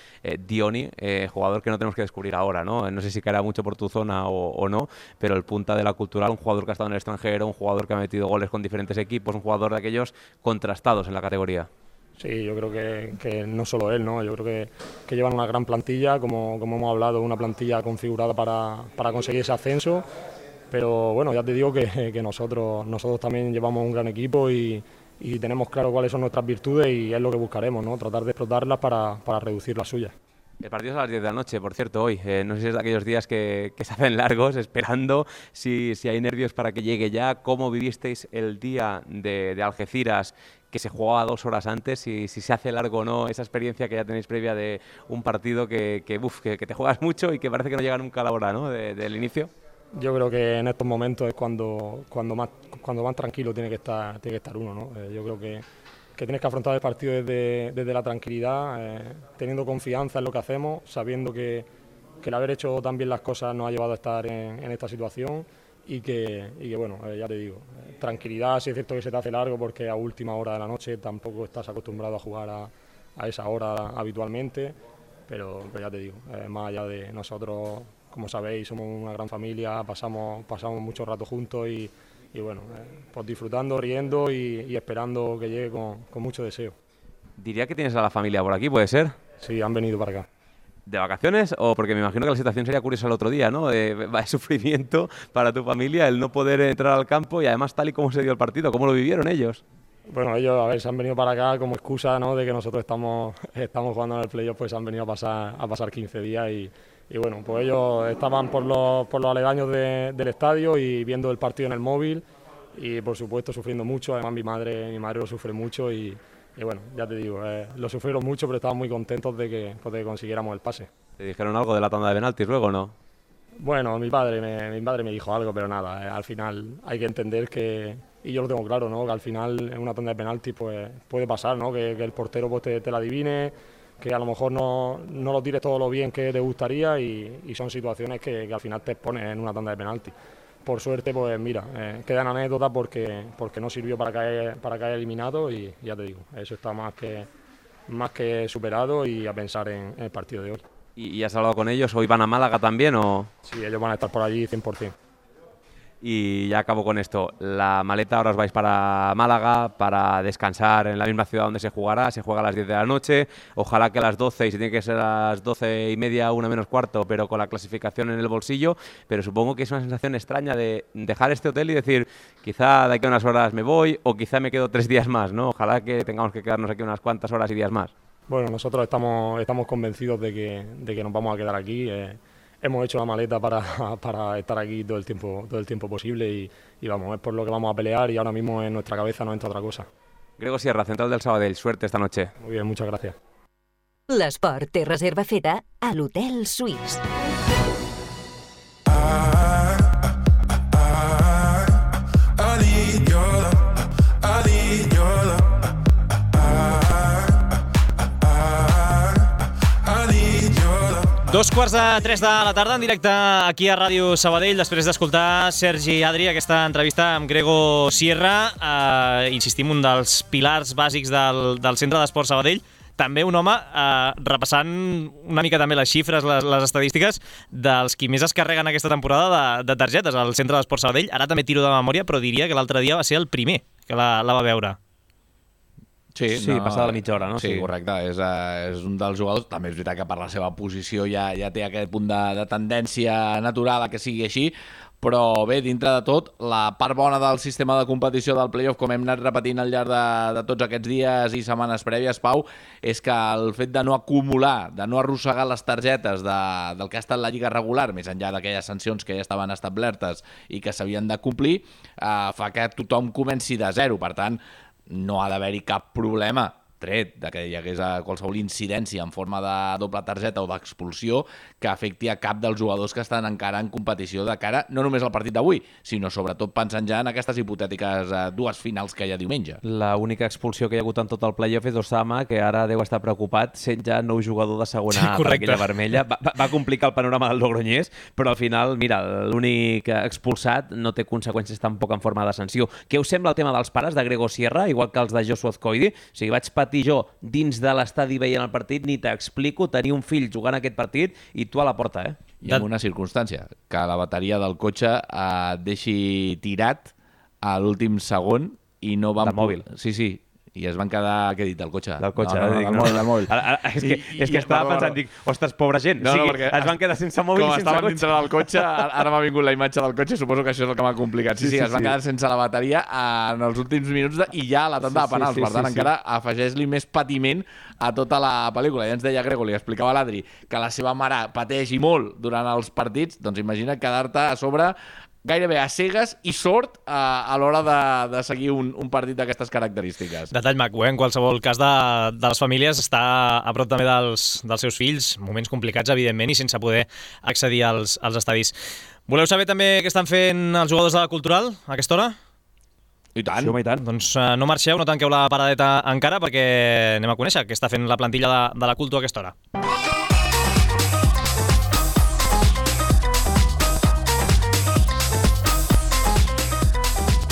Dioni, jugador que no tenemos que descubrir ahora, ¿no? No sé si caerá mucho por tu zona o no, pero el punta de la Cultural, un jugador que ha estado en el extranjero, un jugador que ha metido goles con diferentes equipos, un jugador de aquellos contrastados en la categoría. Sí, yo creo que no solo él, ¿no? Yo creo que llevan una gran plantilla, como hemos hablado, una plantilla configurada para conseguir ese ascenso. Pero bueno, ya te digo que nosotros también llevamos un gran equipo y tenemos claro cuáles son nuestras virtudes y es lo que buscaremos, ¿no? Tratar de explotarlas para reducir las suyas. El partido es a las 10 de la noche, por cierto, hoy. No sé si es de aquellos días que se hacen largos, esperando si hay nervios para que llegue ya. ¿Cómo vivisteis el día de Algeciras, que se jugaba 2 horas antes? Si se hace largo o no, esa experiencia que ya tenéis previa de un partido que te juegas mucho y que parece que no llega nunca a la hora, ¿no? Del inicio. Yo creo que en estos momentos es cuando más tranquilo tiene que estar uno, ¿no? Yo creo que tienes que afrontar el partido desde la tranquilidad, teniendo confianza en lo que hacemos, sabiendo que el haber hecho tan bien las cosas nos ha llevado a estar en esta situación y que bueno, ya te digo, tranquilidad. Sí es cierto que se te hace largo porque a última hora de la noche tampoco estás acostumbrado a jugar a esa hora habitualmente, pero ya te digo, más allá de nosotros, como sabéis, somos una gran familia, pasamos mucho rato juntos y bueno, pues disfrutando, riendo y esperando que llegue con mucho deseo. Diría que tienes a la familia por aquí, ¿puede ser? Sí, han venido para acá. ¿De vacaciones? O porque me imagino que la situación sería curiosa el otro día, ¿no? De sufrimiento para tu familia el no poder entrar al campo y además tal y como se dio el partido. ¿Cómo lo vivieron ellos? Bueno, ellos, a ver, se han venido para acá como excusa, ¿no? De que nosotros estamos jugando en el playoff, pues han venido a pasar 15 días y bueno, pues ellos estaban por los aledaños del estadio y viendo el partido en el móvil y por supuesto sufriendo mucho. Además mi madre lo sufre mucho y bueno, ya te digo, lo sufrieron mucho, pero estaban muy contentos de que consiguiéramos el pase. ¿Te dijeron algo de la tanda de penaltis luego, no? Bueno, mi padre me dijo algo, pero nada, al final hay que entender que, y yo lo tengo claro, ¿no? Que al final en una tanda de penaltis pues puede pasar, ¿no? Que el portero pues te la adivine, que a lo mejor no lo tires todo lo bien que te gustaría y son situaciones que al final te expones en una tanda de penaltis. Por suerte, pues mira, quedan anécdotas porque no sirvió para caer eliminado y ya te digo, eso está más que superado y a pensar en el partido de hoy. ¿Y has hablado con ellos? ¿Hoy van a Málaga también o...? Sí, ellos van a estar por allí 100%. Y ya acabo con esto. La maleta, ahora os vais para Málaga para descansar en la misma ciudad donde se jugará. Se juega a las 10 de la noche. Ojalá que a las 12, y si tiene que ser a las 12:30, 1:45, pero con la clasificación en el bolsillo. Pero supongo que es una sensación extraña de dejar este hotel y decir, quizá de aquí a unas horas me voy o quizá me quedo 3 días más, ¿no? Ojalá que tengamos que quedarnos aquí unas cuantas horas y días más. Bueno, nosotros estamos convencidos de que nos vamos a quedar aquí. Hemos hecho la maleta para estar aquí todo el tiempo posible y vamos, es por lo que vamos a pelear y ahora mismo en nuestra cabeza no entra otra cosa. Grego Sierra, central del Sabadell, suerte esta noche. Muy bien, muchas gracias. L'esport té reserva feta a l'Hotel Suís. Dos quarts de 3 de la tarda en directe aquí a Ràdio Sabadell després d'escoltar Sergi Adri, aquesta entrevista amb Grego Sierra, insistim, un dels pilars bàsics del Centre d'Esports Sabadell, també un home repassant una mica també les xifres, les estadístiques dels qui més es carreguen aquesta temporada de targetes al Centre d'Esports Sabadell. Ara també tiro de memòria, però diria que l'altre dia va ser el primer que la va veure. Sí, passada la mitja hora, no? Sí, correcte. És un dels jugadors. També és veritat que per la seva posició ja té aquest punt de tendència natural a que sigui així, però bé, dintre de tot, la part bona del sistema de competició del playoff, com hem anat repetint al llarg de tots aquests dies i setmanes prèvies, Pau, és que el fet de no acumular, de no arrossegar les targetes del que ha estat la lliga regular, més enllà d'aquelles sancions que ja estaven establertes i que s'havien de complir, fa que tothom comenci de zero. Per tant, no ha d'haver-hi cap problema, tret de que hi hagués qualsevol incidència en forma de doble targeta o d'expulsió que afecti a cap dels jugadors que estan encara en competició de cara no només al partit d'avui, sinó sobretot pensant ja en aquestes hipotètiques dues finals que hi ha diumenge. La única expulsió que hi ha hagut en tot el playoff és Osama, que ara deu estar preocupat sent ja nou jugador de segona A per aquella vermella. Va complicar el panorama del Logroñés, però al final, mira, l'únic expulsat no té conseqüències tampoc en forma de sanció. Què us sembla el tema dels pares de Grego Sierra, igual que els de Joshua Azcoidi? O sigui, vaig patir jo dins de l'estadi veient el partit, ni t'explico tenir un fill jugant aquest partit i tu a la porta, I en una circumstància, que la bateria del cotxe et deixi tirat a l'últim segon i no van... Del mòbil. Sí. I es van quedar, què he dit, del cotxe? Del cotxe, del mòbil. És que estava pensant, dic, ostres, pobra gent, es van quedar sense mòbil i sense cotxe. Com estaven dintre del cotxe, ara m'ha vingut la imatge del cotxe, suposo que això és el que m'ha complicat. Sí, es van quedar sense la bateria en els últims minuts i ja a la tanda de penals. Per tant, encara afegeix-li més patiment a tota la pel·lícula. Ja ens deia Grego, li explicava a l'Adri, que la seva mare pateix i molt durant els partits, doncs imagina't quedar-te a sobre gairebé a cegues i sort a l'hora de seguir un partit d'aquestes característiques. Detall maco, en qualsevol cas de les famílies, està a prop també dels seus fills, moments complicats, evidentment, i sense poder accedir als estadis. Voleu saber també què estan fent els jugadors de la Cultural a aquesta hora? I tant. Sí, home, i tant. Doncs no marxeu, no tanqueu la paradeta encara, perquè anem a conèixer què està fent la plantilla de la Cultu a aquesta hora.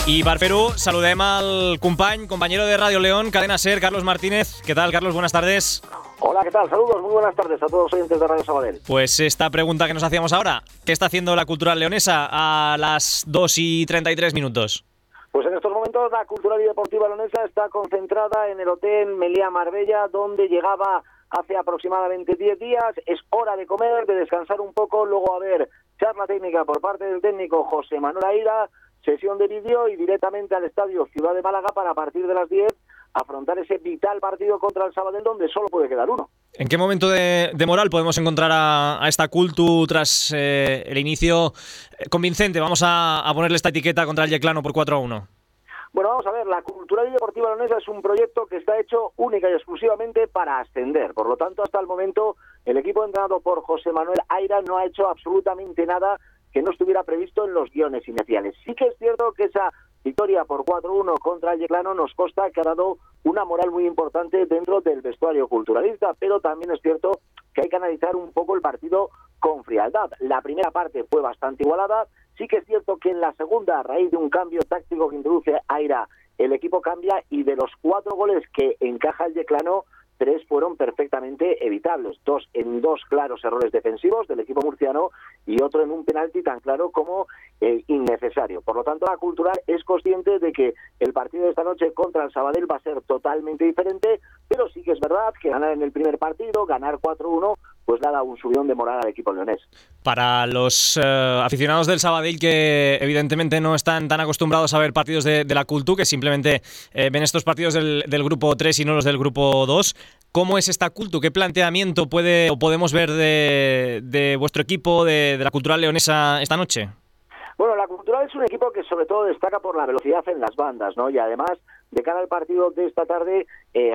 Y para Perú saludem al compañero de Radio León, Cadena SER, Carlos Martínez. ¿Qué tal, Carlos? Buenas tardes. Hola, ¿qué tal? Saludos, muy buenas tardes a todos los oyentes de Radio Sabadell. Pues esta pregunta que nos hacíamos ahora, ¿qué está haciendo la Cultural Leonesa a las 2:33 minutos? Pues en estos momentos la Cultural y Deportiva Leonesa está concentrada en el Hotel Meliá Marbella, donde llegaba hace aproximadamente 10 días. Es hora de comer, de descansar un poco, luego a ver charla técnica por parte del técnico José Manuel Aira, sesión de vídeo y directamente al Estadio Ciudad de Málaga para a partir de las 10 afrontar ese vital partido contra el Sabadell donde solo puede quedar uno. ¿En qué momento de moral podemos encontrar a esta Cultu tras el inicio convincente? Vamos a ponerle esta etiqueta contra el Yeclano por 4-1. Bueno, vamos a ver, la Cultural y Deportiva Leonesa es un proyecto que está hecho única y exclusivamente para ascender. Por lo tanto, hasta el momento, el equipo entrenado por José Manuel Aira no ha hecho absolutamente nada que no estuviera previsto en los guiones iniciales. Sí que es cierto que esa victoria por 4-1 contra el Yeclano nos consta que ha dado una moral muy importante dentro del vestuario culturalista, pero también es cierto que hay que analizar un poco el partido con frialdad. La primera parte fue bastante igualada, sí que es cierto que en la segunda, a raíz de un cambio táctico que introduce Aira, el equipo cambia y de los 4 goles que encaja el Yeclano, 3 fueron perfectamente evitables, 2 en 2 claros errores defensivos del equipo murciano y otro en un penalti tan claro como innecesario. Por lo tanto, la Cultural es consciente de que el partido de esta noche contra el Sabadell va a ser totalmente diferente, pero sí que es verdad que ganar en el primer partido, ganar 4-1, pues le ha dado un subidón de moral al equipo leonés. Para los aficionados del Sabadell que evidentemente no están tan acostumbrados a ver partidos de la Cultu, que simplemente ven estos partidos del grupo 3 y no los del grupo 2, ¿cómo es esta Cultu? ¿Qué planteamiento podemos ver de vuestro equipo, de la Cultural leonesa esta noche? Bueno, la Cultural es un equipo que sobre todo destaca por la velocidad en las bandas, ¿no? Y además, de cara al partido de esta tarde,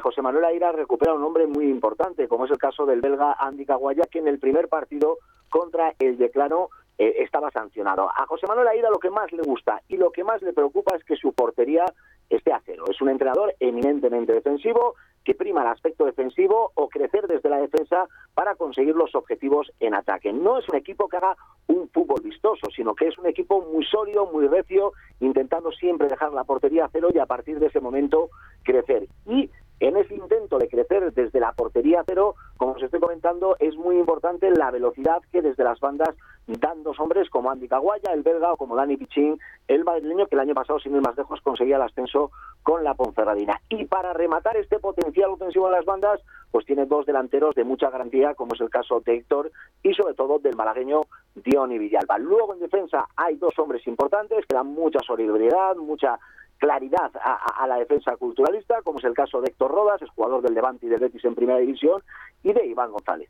José Manuel Aira recupera un hombre muy importante, como es el caso del belga Andy Caguaya, que en el primer partido contra el Yeclano estaba sancionado. A José Manuel Aira lo que más le gusta y lo que más le preocupa es que su portería esté a cero. Es un entrenador eminentemente defensivo, que prima el aspecto defensivo o crecer desde la defensa para conseguir los objetivos en ataque. No es un equipo que haga un fútbol vistoso, sino que es un equipo muy sólido, muy recio, intentando siempre dejar la portería a cero y a partir de ese momento crecer. Y en ese intento de crecer desde la portería a cero, como os estoy comentando, es muy importante la velocidad que desde las bandas dan dos hombres como Andy Caguaya, el belga, o como Dani Pichín, el madrileño, que el año pasado, sin ir más lejos, conseguía el ascenso con la Ponferradina. Y para rematar este potencial ofensivo en las bandas, pues tiene dos delanteros de mucha garantía, como es el caso de Héctor y sobre todo del malagueño Diony Villalba. Luego en defensa hay dos hombres importantes que dan mucha solidaridad, mucha claridad a la defensa culturalista, como es el caso de Héctor Rodas, es jugador del Levante y del Betis en Primera División, y de Iván González.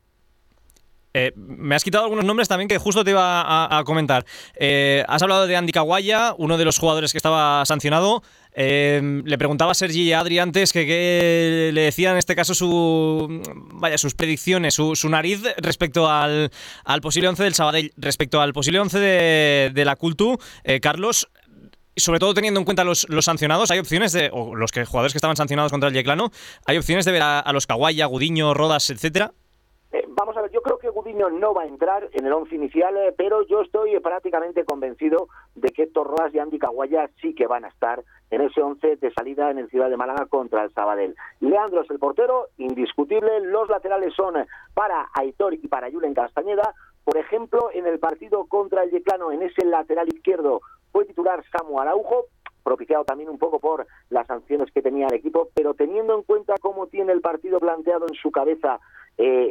Me has quitado algunos nombres también que justo te iba a comentar. Has hablado de Andy Caguaya, uno de los jugadores que estaba sancionado. Le preguntaba a Sergi Adri antes que qué le decía en este caso sus predicciones, su nariz respecto al posible 11 del Sabadell. Respecto al posible 11 de la Cultu, Carlos, sobre todo teniendo en cuenta los sancionados, ¿hay opciones o los jugadores que estaban sancionados contra el Yeclano, hay opciones de ver a los Caguaya, Gudiño, Rodas, etcétera? Vamos a ver, yo creo que Gudiño no va a entrar en el 11 inicial, pero yo estoy prácticamente convencido de que Héctor Rodas y Andy Caguaya sí que van a estar en ese 11 de salida en el Ciudad de Málaga contra el Sabadell. Leandro es el portero, indiscutible. Los laterales son para Aitor y para Julen Castañeda. Por ejemplo, en el partido contra el Yeclano, en ese lateral izquierdo, fue titular Samu Araujo, propiciado también un poco por las sanciones que tenía el equipo, pero teniendo en cuenta cómo tiene el partido planteado en su cabeza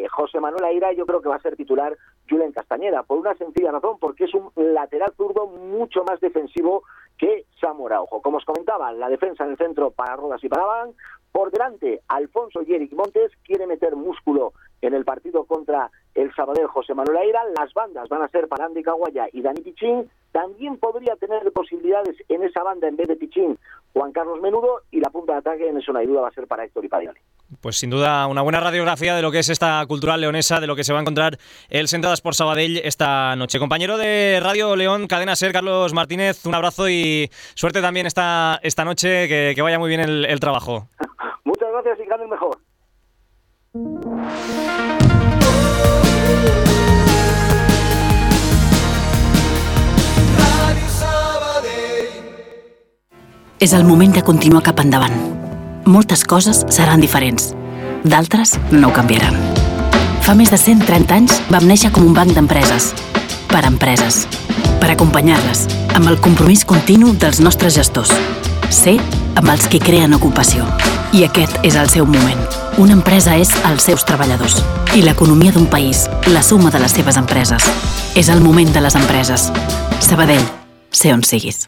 José Manuel Aira, yo creo que va a ser titular Julen Castañeda, por una sencilla razón, porque es un lateral zurdo mucho más defensivo que Samu Araujo. Como os comentaba, la defensa en el centro para Rodas y para Van. Por delante, Alfonso y Eric Montes quiere meter músculo en el partido contra el Sabadell José Manuel Aira. Las bandas van a ser para Andy Caguaya y Dani Pichín. También podría tener posibilidades en esa banda, en vez de Pichín, Juan Carlos Menudo, y la punta de ataque, en eso no hay duda, va a ser para Héctor y para Diony. Pues sin duda una buena radiografía de lo que es esta Cultural leonesa, de lo que se va a encontrar el Centre d'Esports Sabadell esta noche. Compañero de Radio León, Cadena SER, Carlos Martínez, un abrazo y suerte también esta noche, que vaya muy bien el trabajo. Muchas gracias y gane el mejor. És el moment de continuar cap endavant. Moltes coses seran diferents. D'altres no canviaran. Fa més de 130 anys vam néixer com un banc d'empreses. Per empreses. Per acompanyar-les, amb el compromís continu dels nostres gestors. Ser amb els que creen ocupació. I aquest és el seu moment. Una empresa és els seus treballadors. I l'economia d'un país, la suma de les seves empreses. És el moment de les empreses. Sabadell, sé on siguis.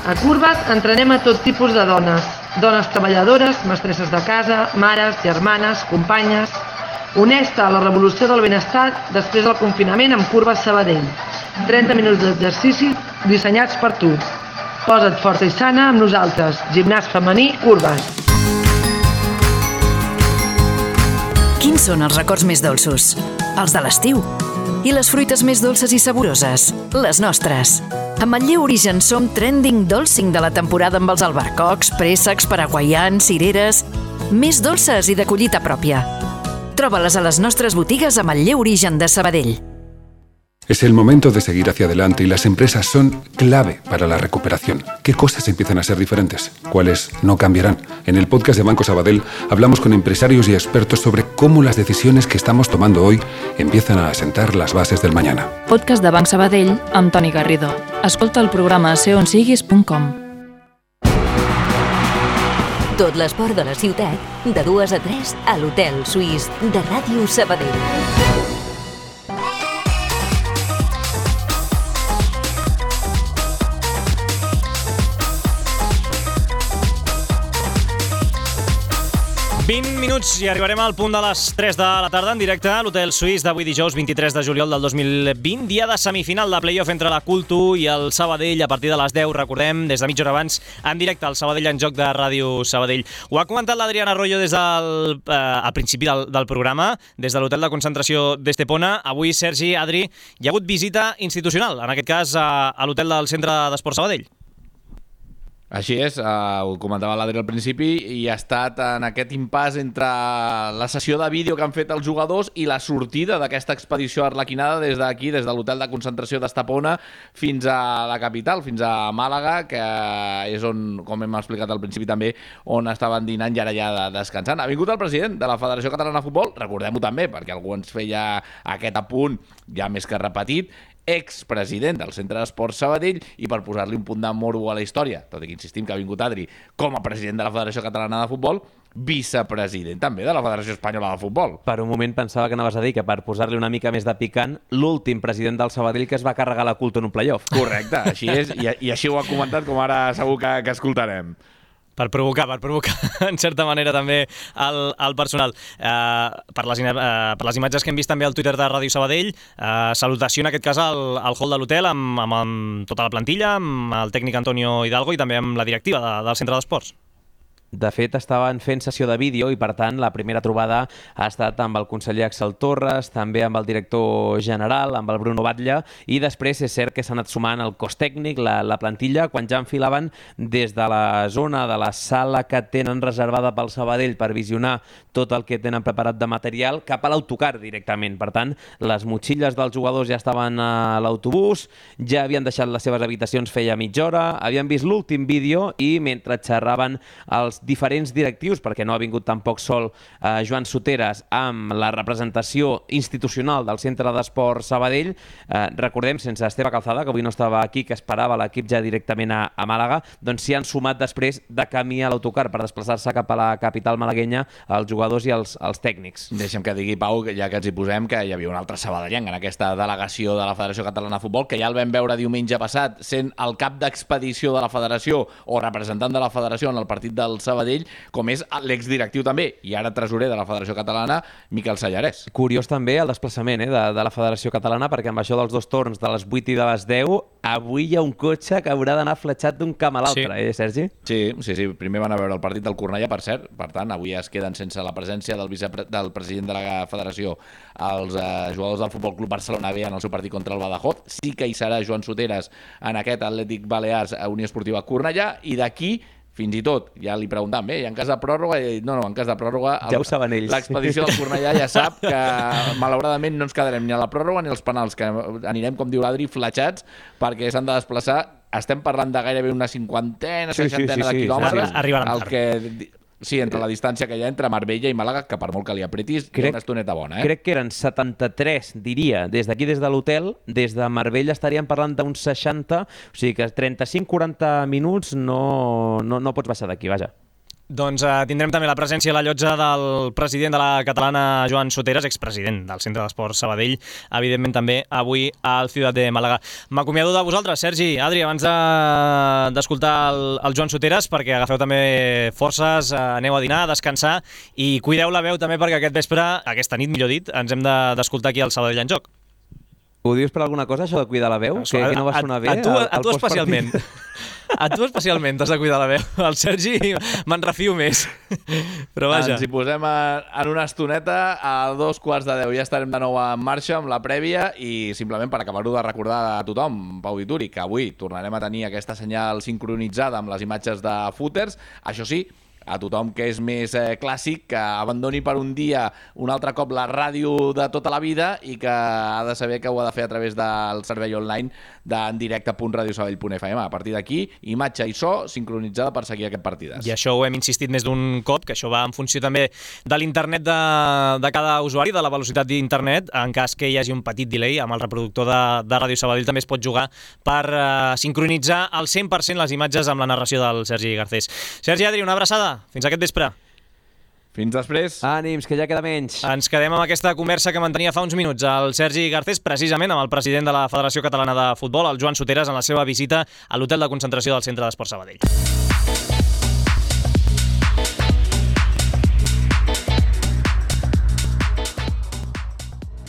A Curves entrenem a tot tipus de dones. Dones treballadores, mestresses de casa, mares, germanes, companyes. Uneix-te a la revolució del benestar després del confinament amb Curves Sabadell. 30 minuts d'exercici dissenyats per tu. Posa't forta i sana amb nosaltres. Gimnàs femení Curves. Quins són els records més dolços? Els de l'estiu. I les fruites més dolces i saboroses? Les nostres. A Manlleu Origen som trending dolcing de la temporada amb els albercocs, préssecs, paraguaians, cireres... Més dolces i de collita pròpia. Troba-les a les nostres botigues a Manlleu Origen de Sabadell. Es el momento de seguir hacia adelante y las empresas son clave para la recuperación. ¿Qué cosas empiezan a ser diferentes? ¿Cuáles no cambiarán? En el podcast de Banco Sabadell hablamos con empresarios y expertos sobre cómo las decisiones que estamos tomando hoy empiezan a asentar las bases del mañana. Podcast de Banc Sabadell amb Toni Garrido. Escolta el programa seonsiguis.com. Tot l'esport de la ciutat, de 2 a 3 a l'Hotel Suís de Ràdio Sabadell. 20 minuts i arribarem al punt de les 3 de la tarda en directe a l'Hotel Suís d'avui dijous 23 de juliol del 2020, dia de semifinal de play-off entre la Cultu i el Sabadell a partir de les 10, recordem, des de mitja hora abans, en directe al Sabadell en joc de Ràdio Sabadell. Ho ha comentat l'Adriana Arroyo des del al principi del programa, des de l'hotel de concentració d'Estepona. Avui, Sergi, Adri, hi ha hagut visita institucional, en aquest cas a l'hotel del Centre d'Esport Sabadell. Així és, ho comentava l'Adri al principi, i ha estat en aquest impàs entre la sessió de vídeo que han fet els jugadors i la sortida d'aquesta expedició arlequinada des d'aquí, des de l'hotel de concentració d'Estepona fins a la capital, fins a Màlaga, que és on, com hem explicat al principi també, on estaven dinant i ara ja descansant. Ha vingut el president de la Federació Catalana de Futbol, recordem-ho també, perquè algú ens feia aquest apunt ja més que repetit, expresident del Centre d'Esport Sabadell, i per posar-li un punt de morbo a la història, tot i que insistim que ha vingut Adri com a president de la Federació Catalana de Futbol, vicepresident també de la Federació Espanyola de Futbol. Per un moment pensava que anaves a dir que, per posar-li una mica més de picant, l'últim president del Sabadell que es va carregar la Cultu en un playoff. Correcte, així és, i així ho ha comentat, com ara segur que escoltarem. Per provocar, en certa manera, també el personal. Per les imatges que hem vist també al Twitter de Ràdio Sabadell, salutació en aquest cas al hall de l'hotel amb tota la plantilla, amb el tècnic Antonio Hidalgo i també amb la directiva del Centre d'Esports. De fet, estaven fent sessió de vídeo i, per tant, la primera trobada ha estat amb el conseller Axel Torres, també amb el director general, amb el Bruno Batlle, i després és cert que s'ha anat sumant el cos tècnic, la plantilla, quan ja enfilaven des de la zona de la sala que tenen reservada pel Sabadell per visionar tot el que tenen preparat de material cap a l'autocar directament. Per tant, les motxilles dels jugadors ja estaven a l'autobús, ja havien deixat les seves habitacions feia mitja hora, havien vist l'últim vídeo i mentre xerraven els diferents directius, perquè no ha vingut tampoc sol Joan Soteres amb la representació institucional del Centre d'Esport Sabadell, recordem, sense Esteve Calzada, que avui no estava aquí, que esperava l'equip ja directament a Màlaga, doncs s'hi han sumat després de camí a l'autocar per desplaçar-se cap a la capital malaguenya els jugadors i els tècnics. Deixa'm que digui, Pau, ja que ens hi posem, que hi havia un altre sabadellenc en aquesta delegació de la Federació Catalana de Futbol, que ja el vam veure diumenge passat, sent el cap d'expedició de la Federació o representant de la Federació en el partit del Sabadell, com és l'exdirectiu també, i ara tresorer de la Federació Catalana, Miquel Sallarès. Curiós també el desplaçament de la Federació Catalana, perquè amb això dels dos torns de les 8 i de les 10, avui hi ha un cotxe que haurà d'anar fletxat d'un camp a l'altre, Sergi? Sí. Primer van a veure el partit del Cornellà, per cert, per tant, avui es queden sense la presència del president de la Federació els jugadors del Futbol Club Barcelona B en el seu partit contra el Badajoz. Sí que hi serà Joan Soteres en aquest Atlètic Balears a Unió Esportiva Cornellà, i d'aquí fins i tot, ja li preguntàvem, en cas de pròrroga, en cas de pròrroga, ja ho saben ells. L'expedició del Cornellà ja sap que malauradament no ens quedarem ni a la pròrroga ni als penals, que anirem, com diu l'Adri, fletxats, perquè s'han de desplaçar. Estem parlant de gairebé una 50, 60 de quilòmetres. Arribaran tard. Sí, entre la distància que hi ha entre Marbella i Màlaga, que per molt que li apretis, hi ha una estoneta bona. Crec que eren 73, diria, des d'aquí, des de l'hotel. Des de Marbella estaríem parlant d'uns 60, o sigui que 35-40 minuts no pots baixar d'aquí, vaja. Doncs tindrem també la presència a la llotja del president de la catalana, Joan Soteres, expresident del Centre d'Esport Sabadell, evidentment també avui al Ciutat de Màlaga. M'acomiado de vosaltres, Sergi, Adri, abans d'escoltar el Joan Soteres, perquè agafeu també forces, aneu a dinar, a descansar, i cuideu la veu també, perquè aquest vespre, aquesta nit, millor dit, ens hem d'escoltar aquí al Sabadell en joc. Ho dius per alguna cosa, això de cuidar la veu? Que no va sonar bé? A tu especialment. A tu especialment t'has de cuidar la veu. El Sergi me'n refio més. Però vaja. Ens hi posem en una estoneta, a 2:15 ja estarem de nou en marxa amb la prèvia, i simplement per acabar-ho de recordar a tothom, Pau Vituri, que avui tornarem a tenir aquesta senyal sincronitzada amb les imatges de Footers. Això sí, a tothom que és més clàssic, que abandoni per un dia un altre cop la ràdio de tota la vida i que ha de saber que ho ha de fer a través del servei online d'endirecte.radiosabadell.fm. A partir d'aquí, imatge i so sincronitzada per seguir aquest partides. I això ho hem insistit més d'un cop, que això va en funció també de l'internet de cada usuari, de la velocitat d'internet. En cas que hi hagi un petit delay, amb el reproductor de Ràdio Sabadell també es pot jugar per sincronitzar al 100% les imatges amb la narració del Sergi Garcés. Sergi, Adri, una abraçada. fins aquest vespre. Fins després. Ànims, que ja queda menys. Ens quedem amb aquesta conversa que mantenia fa uns minuts el Sergi Garcés, precisament amb el president de la Federació Catalana de Futbol, el Joan Soteras, en la seva visita a l'hotel de concentració del Centre d'Esports Sabadell.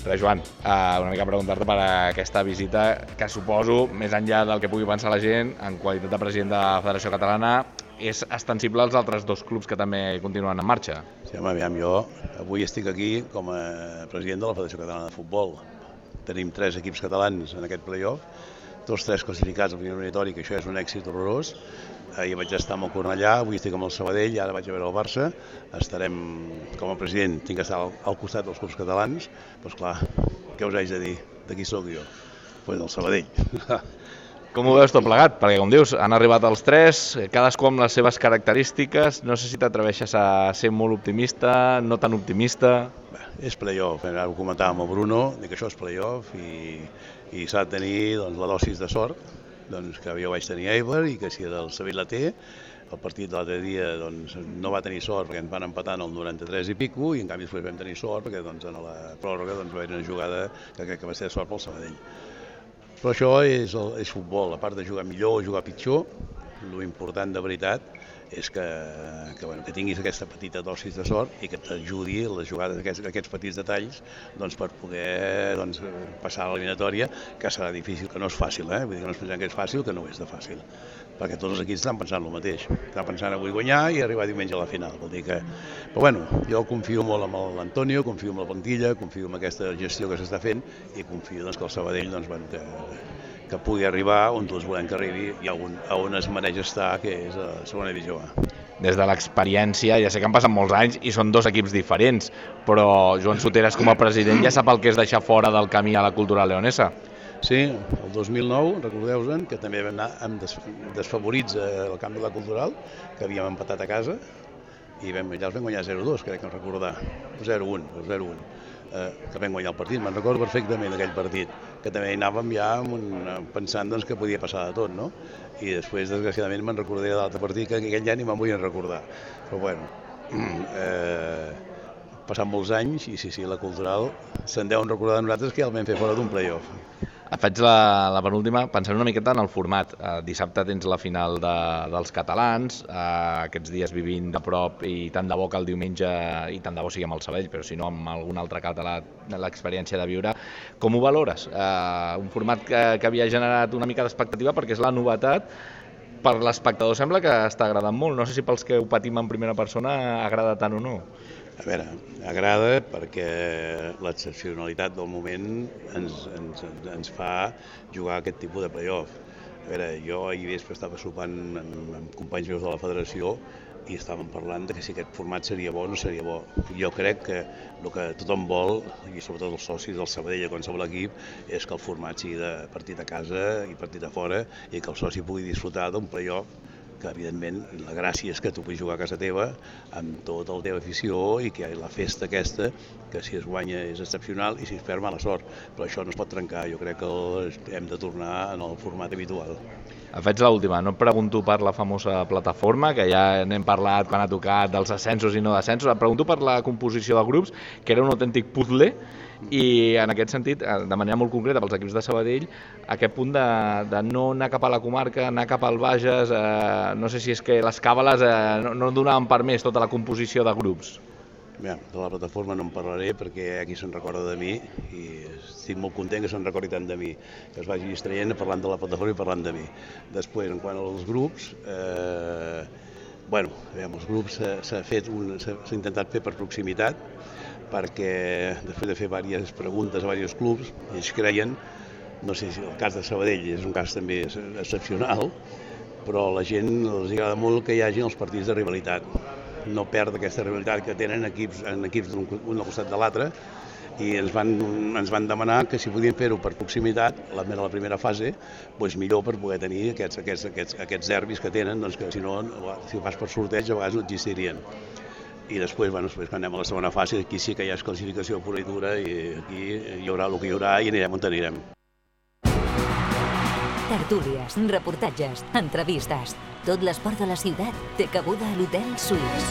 Res, Joan, una mica preguntar-te per aquesta visita que suposo, més enllà del que pugui pensar la gent, en qualitat de president de la Federació Catalana, és extensible als altres dos clubs que també continuen en marxa. Sí, home, aviam, jo avui estic aquí com a president de la Federació Catalana de Futbol. Tenim 3 equips catalans en aquest play-off, tots 3 classificats al primer eliminatori, que això és un èxit horrorós. Ahir vaig estar amb el Cornellà, avui estic amb el Sabadell, ara vaig a veure el Barça. Estarem, com a president, tinc que estar al costat dels clubs catalans. Doncs clar, què us haig de dir? De qui sóc jo? Pues del Sabadell. Com ho veus tot plegat? Perquè, com dius, han arribat els 3, cadascú amb les seves característiques. No sé si t'atreveixes a ser molt optimista, no tan optimista. Bé, és play-off, ara ho comentàvem amb Bruno, que això és play-off i s'ha de tenir doncs, la dosis de sort, doncs, que jo vaig tenir a Eibar i que si el Sevilla la té. El partit de l'altre dia doncs, no va tenir sort perquè ens van empatar en el 93 i pico i en canvi després vam tenir sort perquè doncs, en la pròrroga doncs, va haver una jugada que crec que va ser de sort pel Sabadell. Però això és futbol, a part de jugar millor o jugar pitjor, l'important de veritat és que tinguis aquesta petita dosis de sort i que t'ajudi les jugades, aquests petits detalls doncs, per poder passar a l'eliminatòria, que serà difícil, que no és fàcil, vull dir que no es pensem que és fàcil, que no és de fàcil, perquè tots els equips estan pensant el mateix, estan pensant avui guanyar i arribar diumenge a la final, vol dir que... Però bueno, jo confio molt en l'Antonio, confio en la plantilla, confio en aquesta gestió que s'està fent i confio doncs, que el Sabadell que pugui arribar on tots volem que arribi i on es mereix estar, que és a la segona divisió A. Des de l'experiència, ja sé que han passat molts anys i són 2 equips diferents, però Joan Soteras com a president ja sap el que és deixar fora del camí a la cultura leonesa. Sí, el 2009, recordeu-vos que també vam anar amb desfavorits al camp de la cultural, que havíem empatat a casa, i allà els vam guanyar 0-2, crec que em recordar, 0-1, que vam guanyar el partit, me'n recordo perfectament d'aquell partit, que també hi anàvem ja pensant doncs, que podia passar de tot, no? I després, desgraciadament, me'n recordaré de l'altre partit, que aquell ja ni me'n vull recordar. Però bueno, passant molts anys, i sí, la cultural se'n deuen recordar de nosaltres que ja el vam fer fora d'un play-off. Et faig la penúltima, pensant una miqueta en el format. Dissabte tens la final dels catalans, aquests dies vivint de prop i tant de bo que el diumenge, i tant de bo sigui amb el Sabadell, però si no amb algun altre català, l'experiència de viure. Com ho valores? Un format que havia generat una mica d'expectativa perquè és la novetat, per l'espectador sembla que està agradant molt. No sé si pels que ho patim en primera persona agrada tant o no. A veure, agrada perquè l'excepcionalitat del moment ens fa jugar aquest tipus de play-off. A veure, jo ahir vespre estava sopant amb companys meus de la federació i estàvem parlant de que si aquest format seria bo o no seria bo. Jo crec que el que tothom vol, i sobretot els socis del Sabadell a qualsevol equip, és que el format sigui de partit a casa i partit a fora i que el soci pugui disfrutar d'un play-off que evidentment la gràcia és que tu puguis jugar a casa teva amb tota la teva afició i que la festa aquesta, que si es guanya és excepcional i si es perd mala sort, però això no es pot trencar, jo crec que hem de tornar en el format habitual. Et faig l'última, no et pregunto per la famosa plataforma, que ja n'hem parlat quan ha tocat dels ascensos i no descensos, et pregunto per la composició de grups, que era un autèntic puzzle, i en aquest sentit, de manera molt concreta pels equips de Sabadell, aquest punt de no anar cap a la comarca, anar cap al Bages, no sé si és que les càbales no donaven per més tota la composició de grups. Bé, de la plataforma no en parlaré perquè aquí se'n recorda de mi i estic molt content que se'n recordi tant de mi, que es vagi distraient parlant de la plataforma i parlant de mi. Després, en quant als grups, els grups s'ha intentat fer per proximitat, perquè després de fer diverses preguntes a diversos clubs, ells creien, no sé si el cas de Sabadell és un cas també excepcional, però a la gent els agrada molt que hi hagi els partits de rivalitat, no perdre aquesta rivalitat que tenen equips d'un al costat de l'altre, i ens van demanar que si podien fer-ho per proximitat, la primera fase, doncs millor per poder tenir aquests derbis que tenen, doncs que si no, si ho fas per sorteig, a vegades no existirien. I després, quan anem a la segona fase, aquí sí que hi ha classificació pura i dura i aquí hi haurà el que hi haurà i anirem on anirem. Tertúlies, reportatges, entrevistes. Tot l'esport de la ciutat té cabuda a l'Hotel Suís.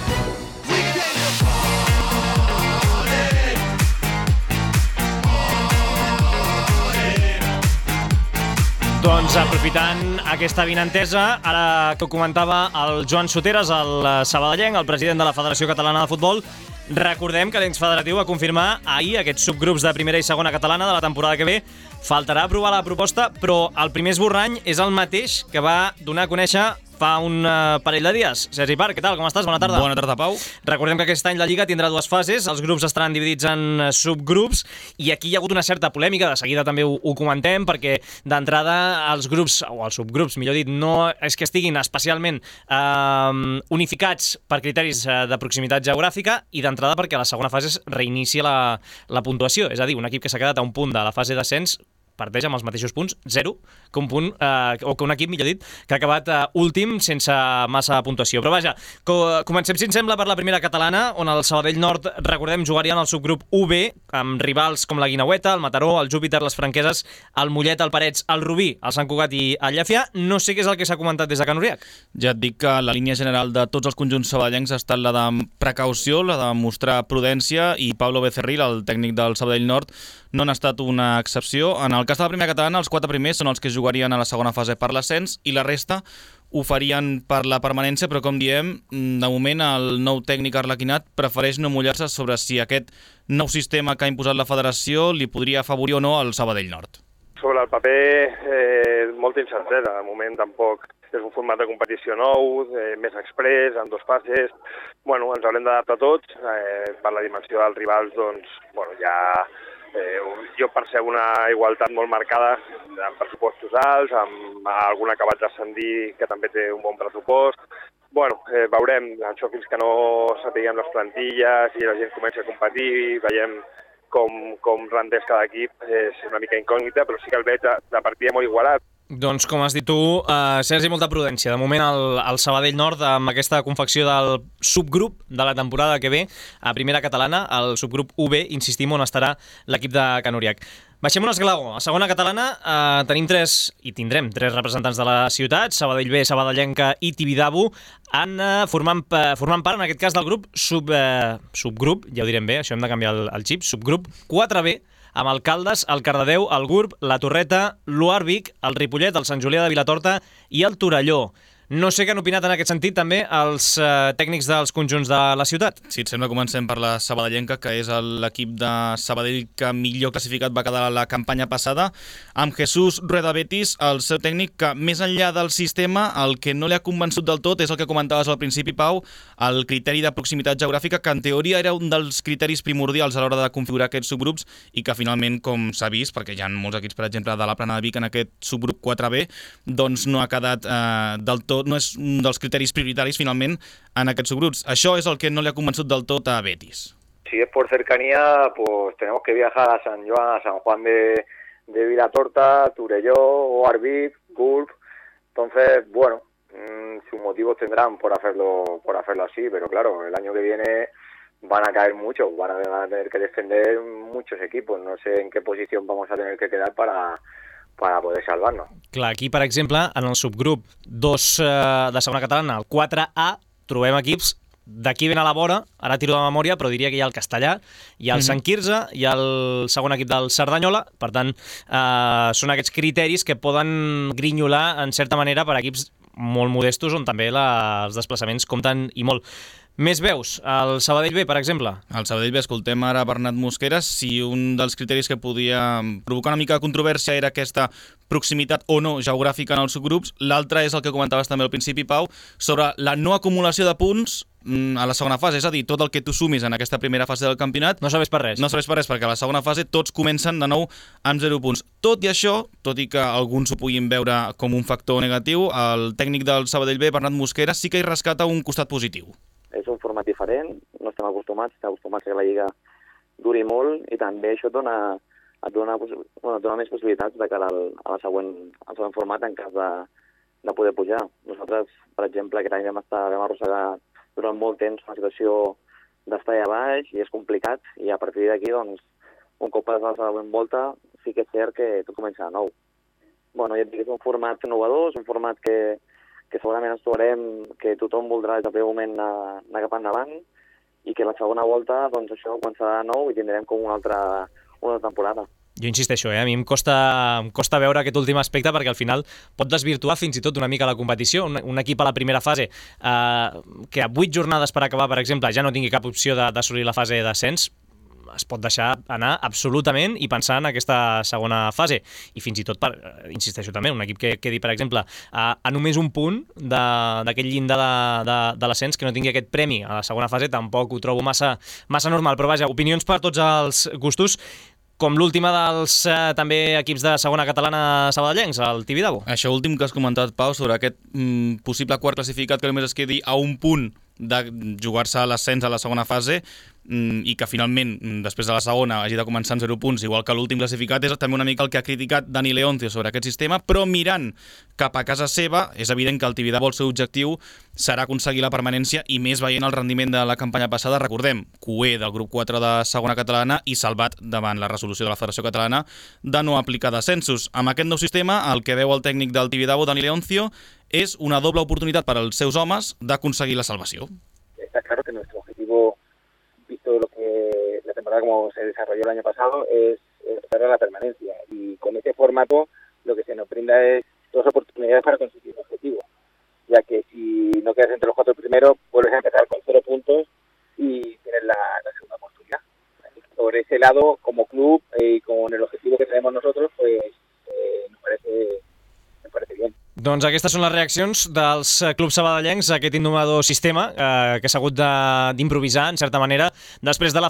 Doncs aprofitant aquesta avinentesa, ara que ho comentava el Joan Soteres, el sabadellenc, el president de la Federació Catalana de Futbol, recordem que l'ens federatiu va confirmar ahir aquests subgrups de primera i segona catalana de la temporada que ve. Faltarà aprovar la proposta, però el primer esborrany és el mateix que va donar a conèixer fa un parell de dies. Sergi Parc, què tal? Com estàs? Bona tarda. Bona tarda, Pau. Recordem que aquest any la Lliga tindrà dues fases, els grups estaran dividits en subgrups, i aquí hi ha hagut una certa polèmica, de seguida també ho comentem, perquè d'entrada els grups, o els subgrups, millor dit, no és que estiguin especialment unificats per criteris de proximitat geogràfica, i d'entrada perquè a la segona fase es reinicia la puntuació, és a dir, un equip que s'ha quedat a un punt de la fase d'ascens parteix amb els mateixos punts, 0, que un punt, o que un equip, millor dit, que ha acabat últim sense massa puntuació. Però vaja, comencem, si ens sembla, per la primera catalana, on el Sabadell Nord, recordem, jugarien al subgrup UB, amb rivals com la Guineueta, el Mataró, el Júpiter, les Franqueses, el Mollet, el Parets, el Rubí, el Sant Cugat i el Llefià. No sé què és el que s'ha comentat des de Can Uriac. Ja et dic que la línia general de tots els conjunts sabadellencs ha estat la de precaució, la de mostrar prudència, i Pablo Becerril, el tècnic del Sabadell Nord, no n'ha estat una excepció. En el cas de la primera catalana, els 4 primers són els que jugarien a la segona fase per l'ascens i la resta ho farien per la permanència, però com diem, de moment el nou tècnic arlequinat prefereix no mullar-se sobre si aquest nou sistema que ha imposat la federació li podria afavorir o no al Sabadell Nord. Sobre el paper, molta incertesa. De moment tampoc és un format de competició nou, més express, amb 2 fases. Bueno, ens haurem d'adaptar tots. Per la dimensió dels rivals, doncs, bueno, ja jo percebo una igualtat molt marcada amb pressupostos alts, amb algun acabat d'ascendir que també té un bon pressupost. Bueno, veurem això fins que no sapiguem les plantilles i la gent comença a competir, veiem com rendeix cada equip, és una mica incògnita, però sí que el veig de partida molt igualat. Doncs, com has dit tu, Sergi, molta prudència. De moment, el Sabadell Nord, amb aquesta confecció del subgrup de la temporada que ve, a primera catalana, el subgrup UB, insistim, on estarà l'equip de Can Uriac. Baixem un esglaó. A segona catalana tenim tindrem 3 representants de la ciutat, Sabadell B, Sabadellenca i Tibidabo, formant part, en aquest cas, del grup subgrup, ja ho direm bé, això hem de canviar el xip, subgrup 4B, amb el Caldes, el Cardedeu, el Gurb, la Torreta, l'Uarvic, el Ripollet, el Sant Julià de Vilatorta i el Torelló. No sé què han opinat en aquest sentit també els tècnics dels conjunts de la ciutat. Si et sembla, comencem per la sabadellenca, que és l'equip de Sabadell que millor classificat va quedar la campanya passada, amb Jesús Rueda Betis, el seu tècnic, que més enllà del sistema, el que no li ha convençut del tot és el que comentaves al principi, Pau, el criteri de proximitat geogràfica, que en teoria era un dels criteris primordials a l'hora de configurar aquests subgrups i que finalment, com s'ha vist, perquè hi ha molts equips, per exemple, de la Plana de Vic en aquest subgrup 4B, doncs no ha quedat del tot, no és un dels criteris prioritaris finalment en aquests subgrups. Això és el que no li ha convençut del tot a Betis. Si es por cercanía, pues tenemos que viajar a San Juan de Vilatorta, Torelló, Oarvic, Gurb. Entonces, bueno, sus motivos tendrán por hacerlo así, pero claro, el año que viene van a caer muchos, van a tener que descender muchos equipos. No sé en qué posición vamos a tener que quedar para poder salvar-nos. Clar, aquí, per exemple, en el subgrup 2 de segona catalana, el 4A, trobem equips d'aquí ben a la vora, ara tiro de memòria, però diria que hi ha el Castellà, hi ha el Sant Quirze, hi ha el segon equip del Cerdanyola, per tant, són aquests criteris que poden grinyolar, en certa manera, per equips molt modestos, on també els desplaçaments compten i molt. Més veus, el Sabadell B, per exemple? El Sabadell B, escoltem ara Bernat Mosqueras, si un dels criteris que podia provocar una mica de controvèrsia era aquesta proximitat o no geogràfica en els subgrups, l'altre és el que comentaves també al principi, Pau, sobre la no acumulació de punts a la segona fase, és a dir, tot el que tu sumis en aquesta primera fase del campionat no serveix per res. No serveix per res, perquè a la segona fase tots comencen de nou amb 0 punts. Tot i això, tot i que alguns ho puguin veure com un factor negatiu, el tècnic del Sabadell B, Bernat Mosqueras, sí que hi rescata un costat positiu. És un format diferent, no estem acostumats que la Lliga duri molt i també això et dona més possibilitats de cara al següent format en cas de poder pujar. Nosaltres, per exemple, aquest any vam arrossegar durant molt temps una situació d'estar allà baix i és complicat i a partir d'aquí, doncs, un cop passat la següent volta, sí que és cert que tot comença de nou. bueno, ja et dic, és un format innovador, és un format que segurament ens trobarem, que tothom voldrà des del primer moment anar cap endavant, i que la segona volta, doncs això, començarà de nou i tindrem com una altra temporada. Jo insisteixo, a mi em costa veure aquest últim aspecte perquè al final pot desvirtuar fins i tot una mica la competició. Un equip a la primera fase que a 8 jornades per acabar, per exemple, ja no tingui cap opció d'assolir la fase d'ascens, es pot deixar anar absolutament i pensar en aquesta segona fase. I fins i tot, insisteixo també, un equip que quedi, per exemple, a només un punt d'aquest llindar de l'ascens, que no tingui aquest premi a la segona fase, tampoc ho trobo massa normal. Però vaja, opinions per tots els gustos, com l'última dels també equips de segona catalana sabadellencs, el Tibidabo. Això últim que has comentat, Pau, sobre aquest possible quart classificat que només es quedi a un punt de jugar-se l'ascens a la segona fase i que finalment, després de la segona, hagi de començar en 0 punts, igual que l'últim classificat, és també una mica el que ha criticat Dani Leoncio sobre aquest sistema, però mirant cap a casa seva, és evident que el Tibidabo el seu objectiu serà aconseguir la permanència i més veient el rendiment de la campanya passada. Recordem, cué del grup 4 de segona catalana i salvat davant la resolució de la Federació Catalana de no aplicar descensos. Amb aquest nou sistema, el que veu el tècnic del Tibidabo, Dani Leoncio, és una doble oportunitat per als seus homes d'aconseguir la salvació. Está claro que nuestro objetivo, visto lo que la temporada como se desarrolló el año pasado, es lograr la permanencia. Y con este formato lo que se nos brinda es 2 oportunidades para conseguir el objetivo, ya que si no quedas entre los 4 primeros, vuelves a empezar con 0 puntos y tienes la segunda oportunidad. Por ese lado, como club y con el objetivo que tenemos nosotros, pues me parece bien. Doncs aquestes són les reaccions dels clubs sabadellencs a aquest innovador sistema que s'ha hagut d'improvisar, en certa manera, després que la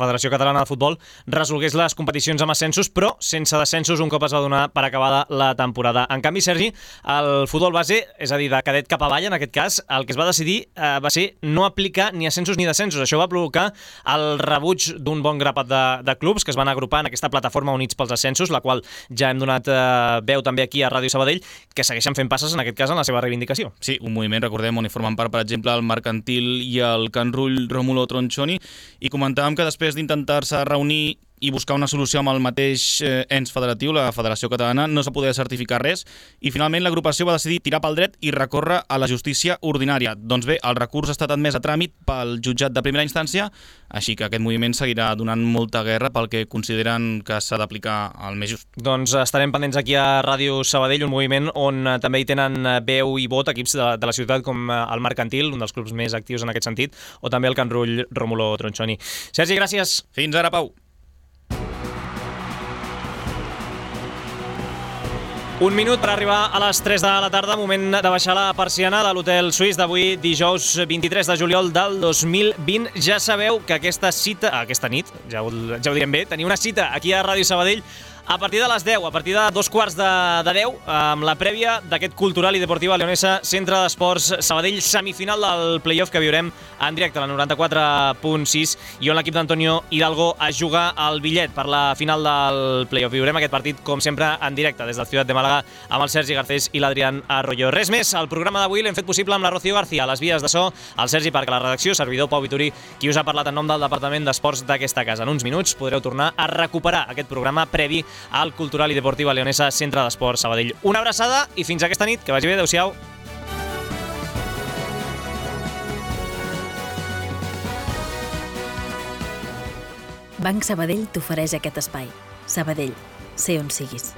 Federació Catalana de Futbol resolgués les competicions amb ascensos, però sense descensos un cop es va donar per acabada la temporada. En canvi, Sergi, el futbol base, és a dir, de cadet cap avall, en aquest cas, el que es va decidir va ser no aplicar ni ascensos ni descensos. Això va provocar el rebuig d'un bon grapat de clubs que es van agrupar en aquesta plataforma Units pels Ascensos, la qual ja hem donat veu també aquí a Ràdio Sabadell, que segueixen fent passes, en aquest cas, en la seva reivindicació. Sí, un moviment, recordem, on hi formen part, per exemple, el Mercantil i el Can Rull Rómulo Tronchoni, i comentàvem que després d'intentar-se reunir i buscar una solució amb el mateix ens federatiu, la Federació Catalana, no s'ha poder certificar res, i finalment l'agrupació va decidir tirar pel dret i recórrer a la justícia ordinària. Doncs bé, el recurs ha estat admès a tràmit pel jutjat de primera instància, així que aquest moviment seguirà donant molta guerra pel que consideren que s'ha d'aplicar el més just. Doncs estarem pendents aquí a Ràdio Sabadell, un moviment on també hi tenen veu i vot equips de la ciutat com el Mercantil, un dels clubs més actius en aquest sentit, o també el Can Rull Rómulo Tronchoni. Sergi, gràcies. Fins ara, Pau. Un minut per arribar a les 3 de la tarda, moment de baixar la persiana de l'Hotel Suís d'avui, dijous 23 de juliol del 2020. Ja sabeu que aquesta nit, ja ho direm bé, teniu una cita aquí a Ràdio Sabadell a partir de les 10, a partir de 2:15 amb la prèvia d'aquest Cultural i Deportiva Leonesa Centre d'Esports Sabadell, semifinal del playoff que viurem en directe a la 94.6 i on l'equip d'Antonio Hidalgo es juga el bitllet per la final del playoff. Viurem aquest partit, com sempre, en directe des de la ciutat de Màlaga amb el Sergi Garcés i l'Adrián Arroyo. Res més, el programa d'avui l'hem fet possible amb la Rocío García, a les vies de so, el Sergi Parc a la redacció, servidor Pau Vituri, qui us ha parlat en nom del Departament d'Esports d'aquesta casa. En uns minuts podreu tornar a recuperar aquest programa previ al Cultural i Deportiva Leonesa Centre d'Esports Sabadell. Una abraçada i fins aquesta nit. Que vagi bé, adeu-siau. Banc Sabadell t'ofereix aquest espai. Sabadell, sé on siguis.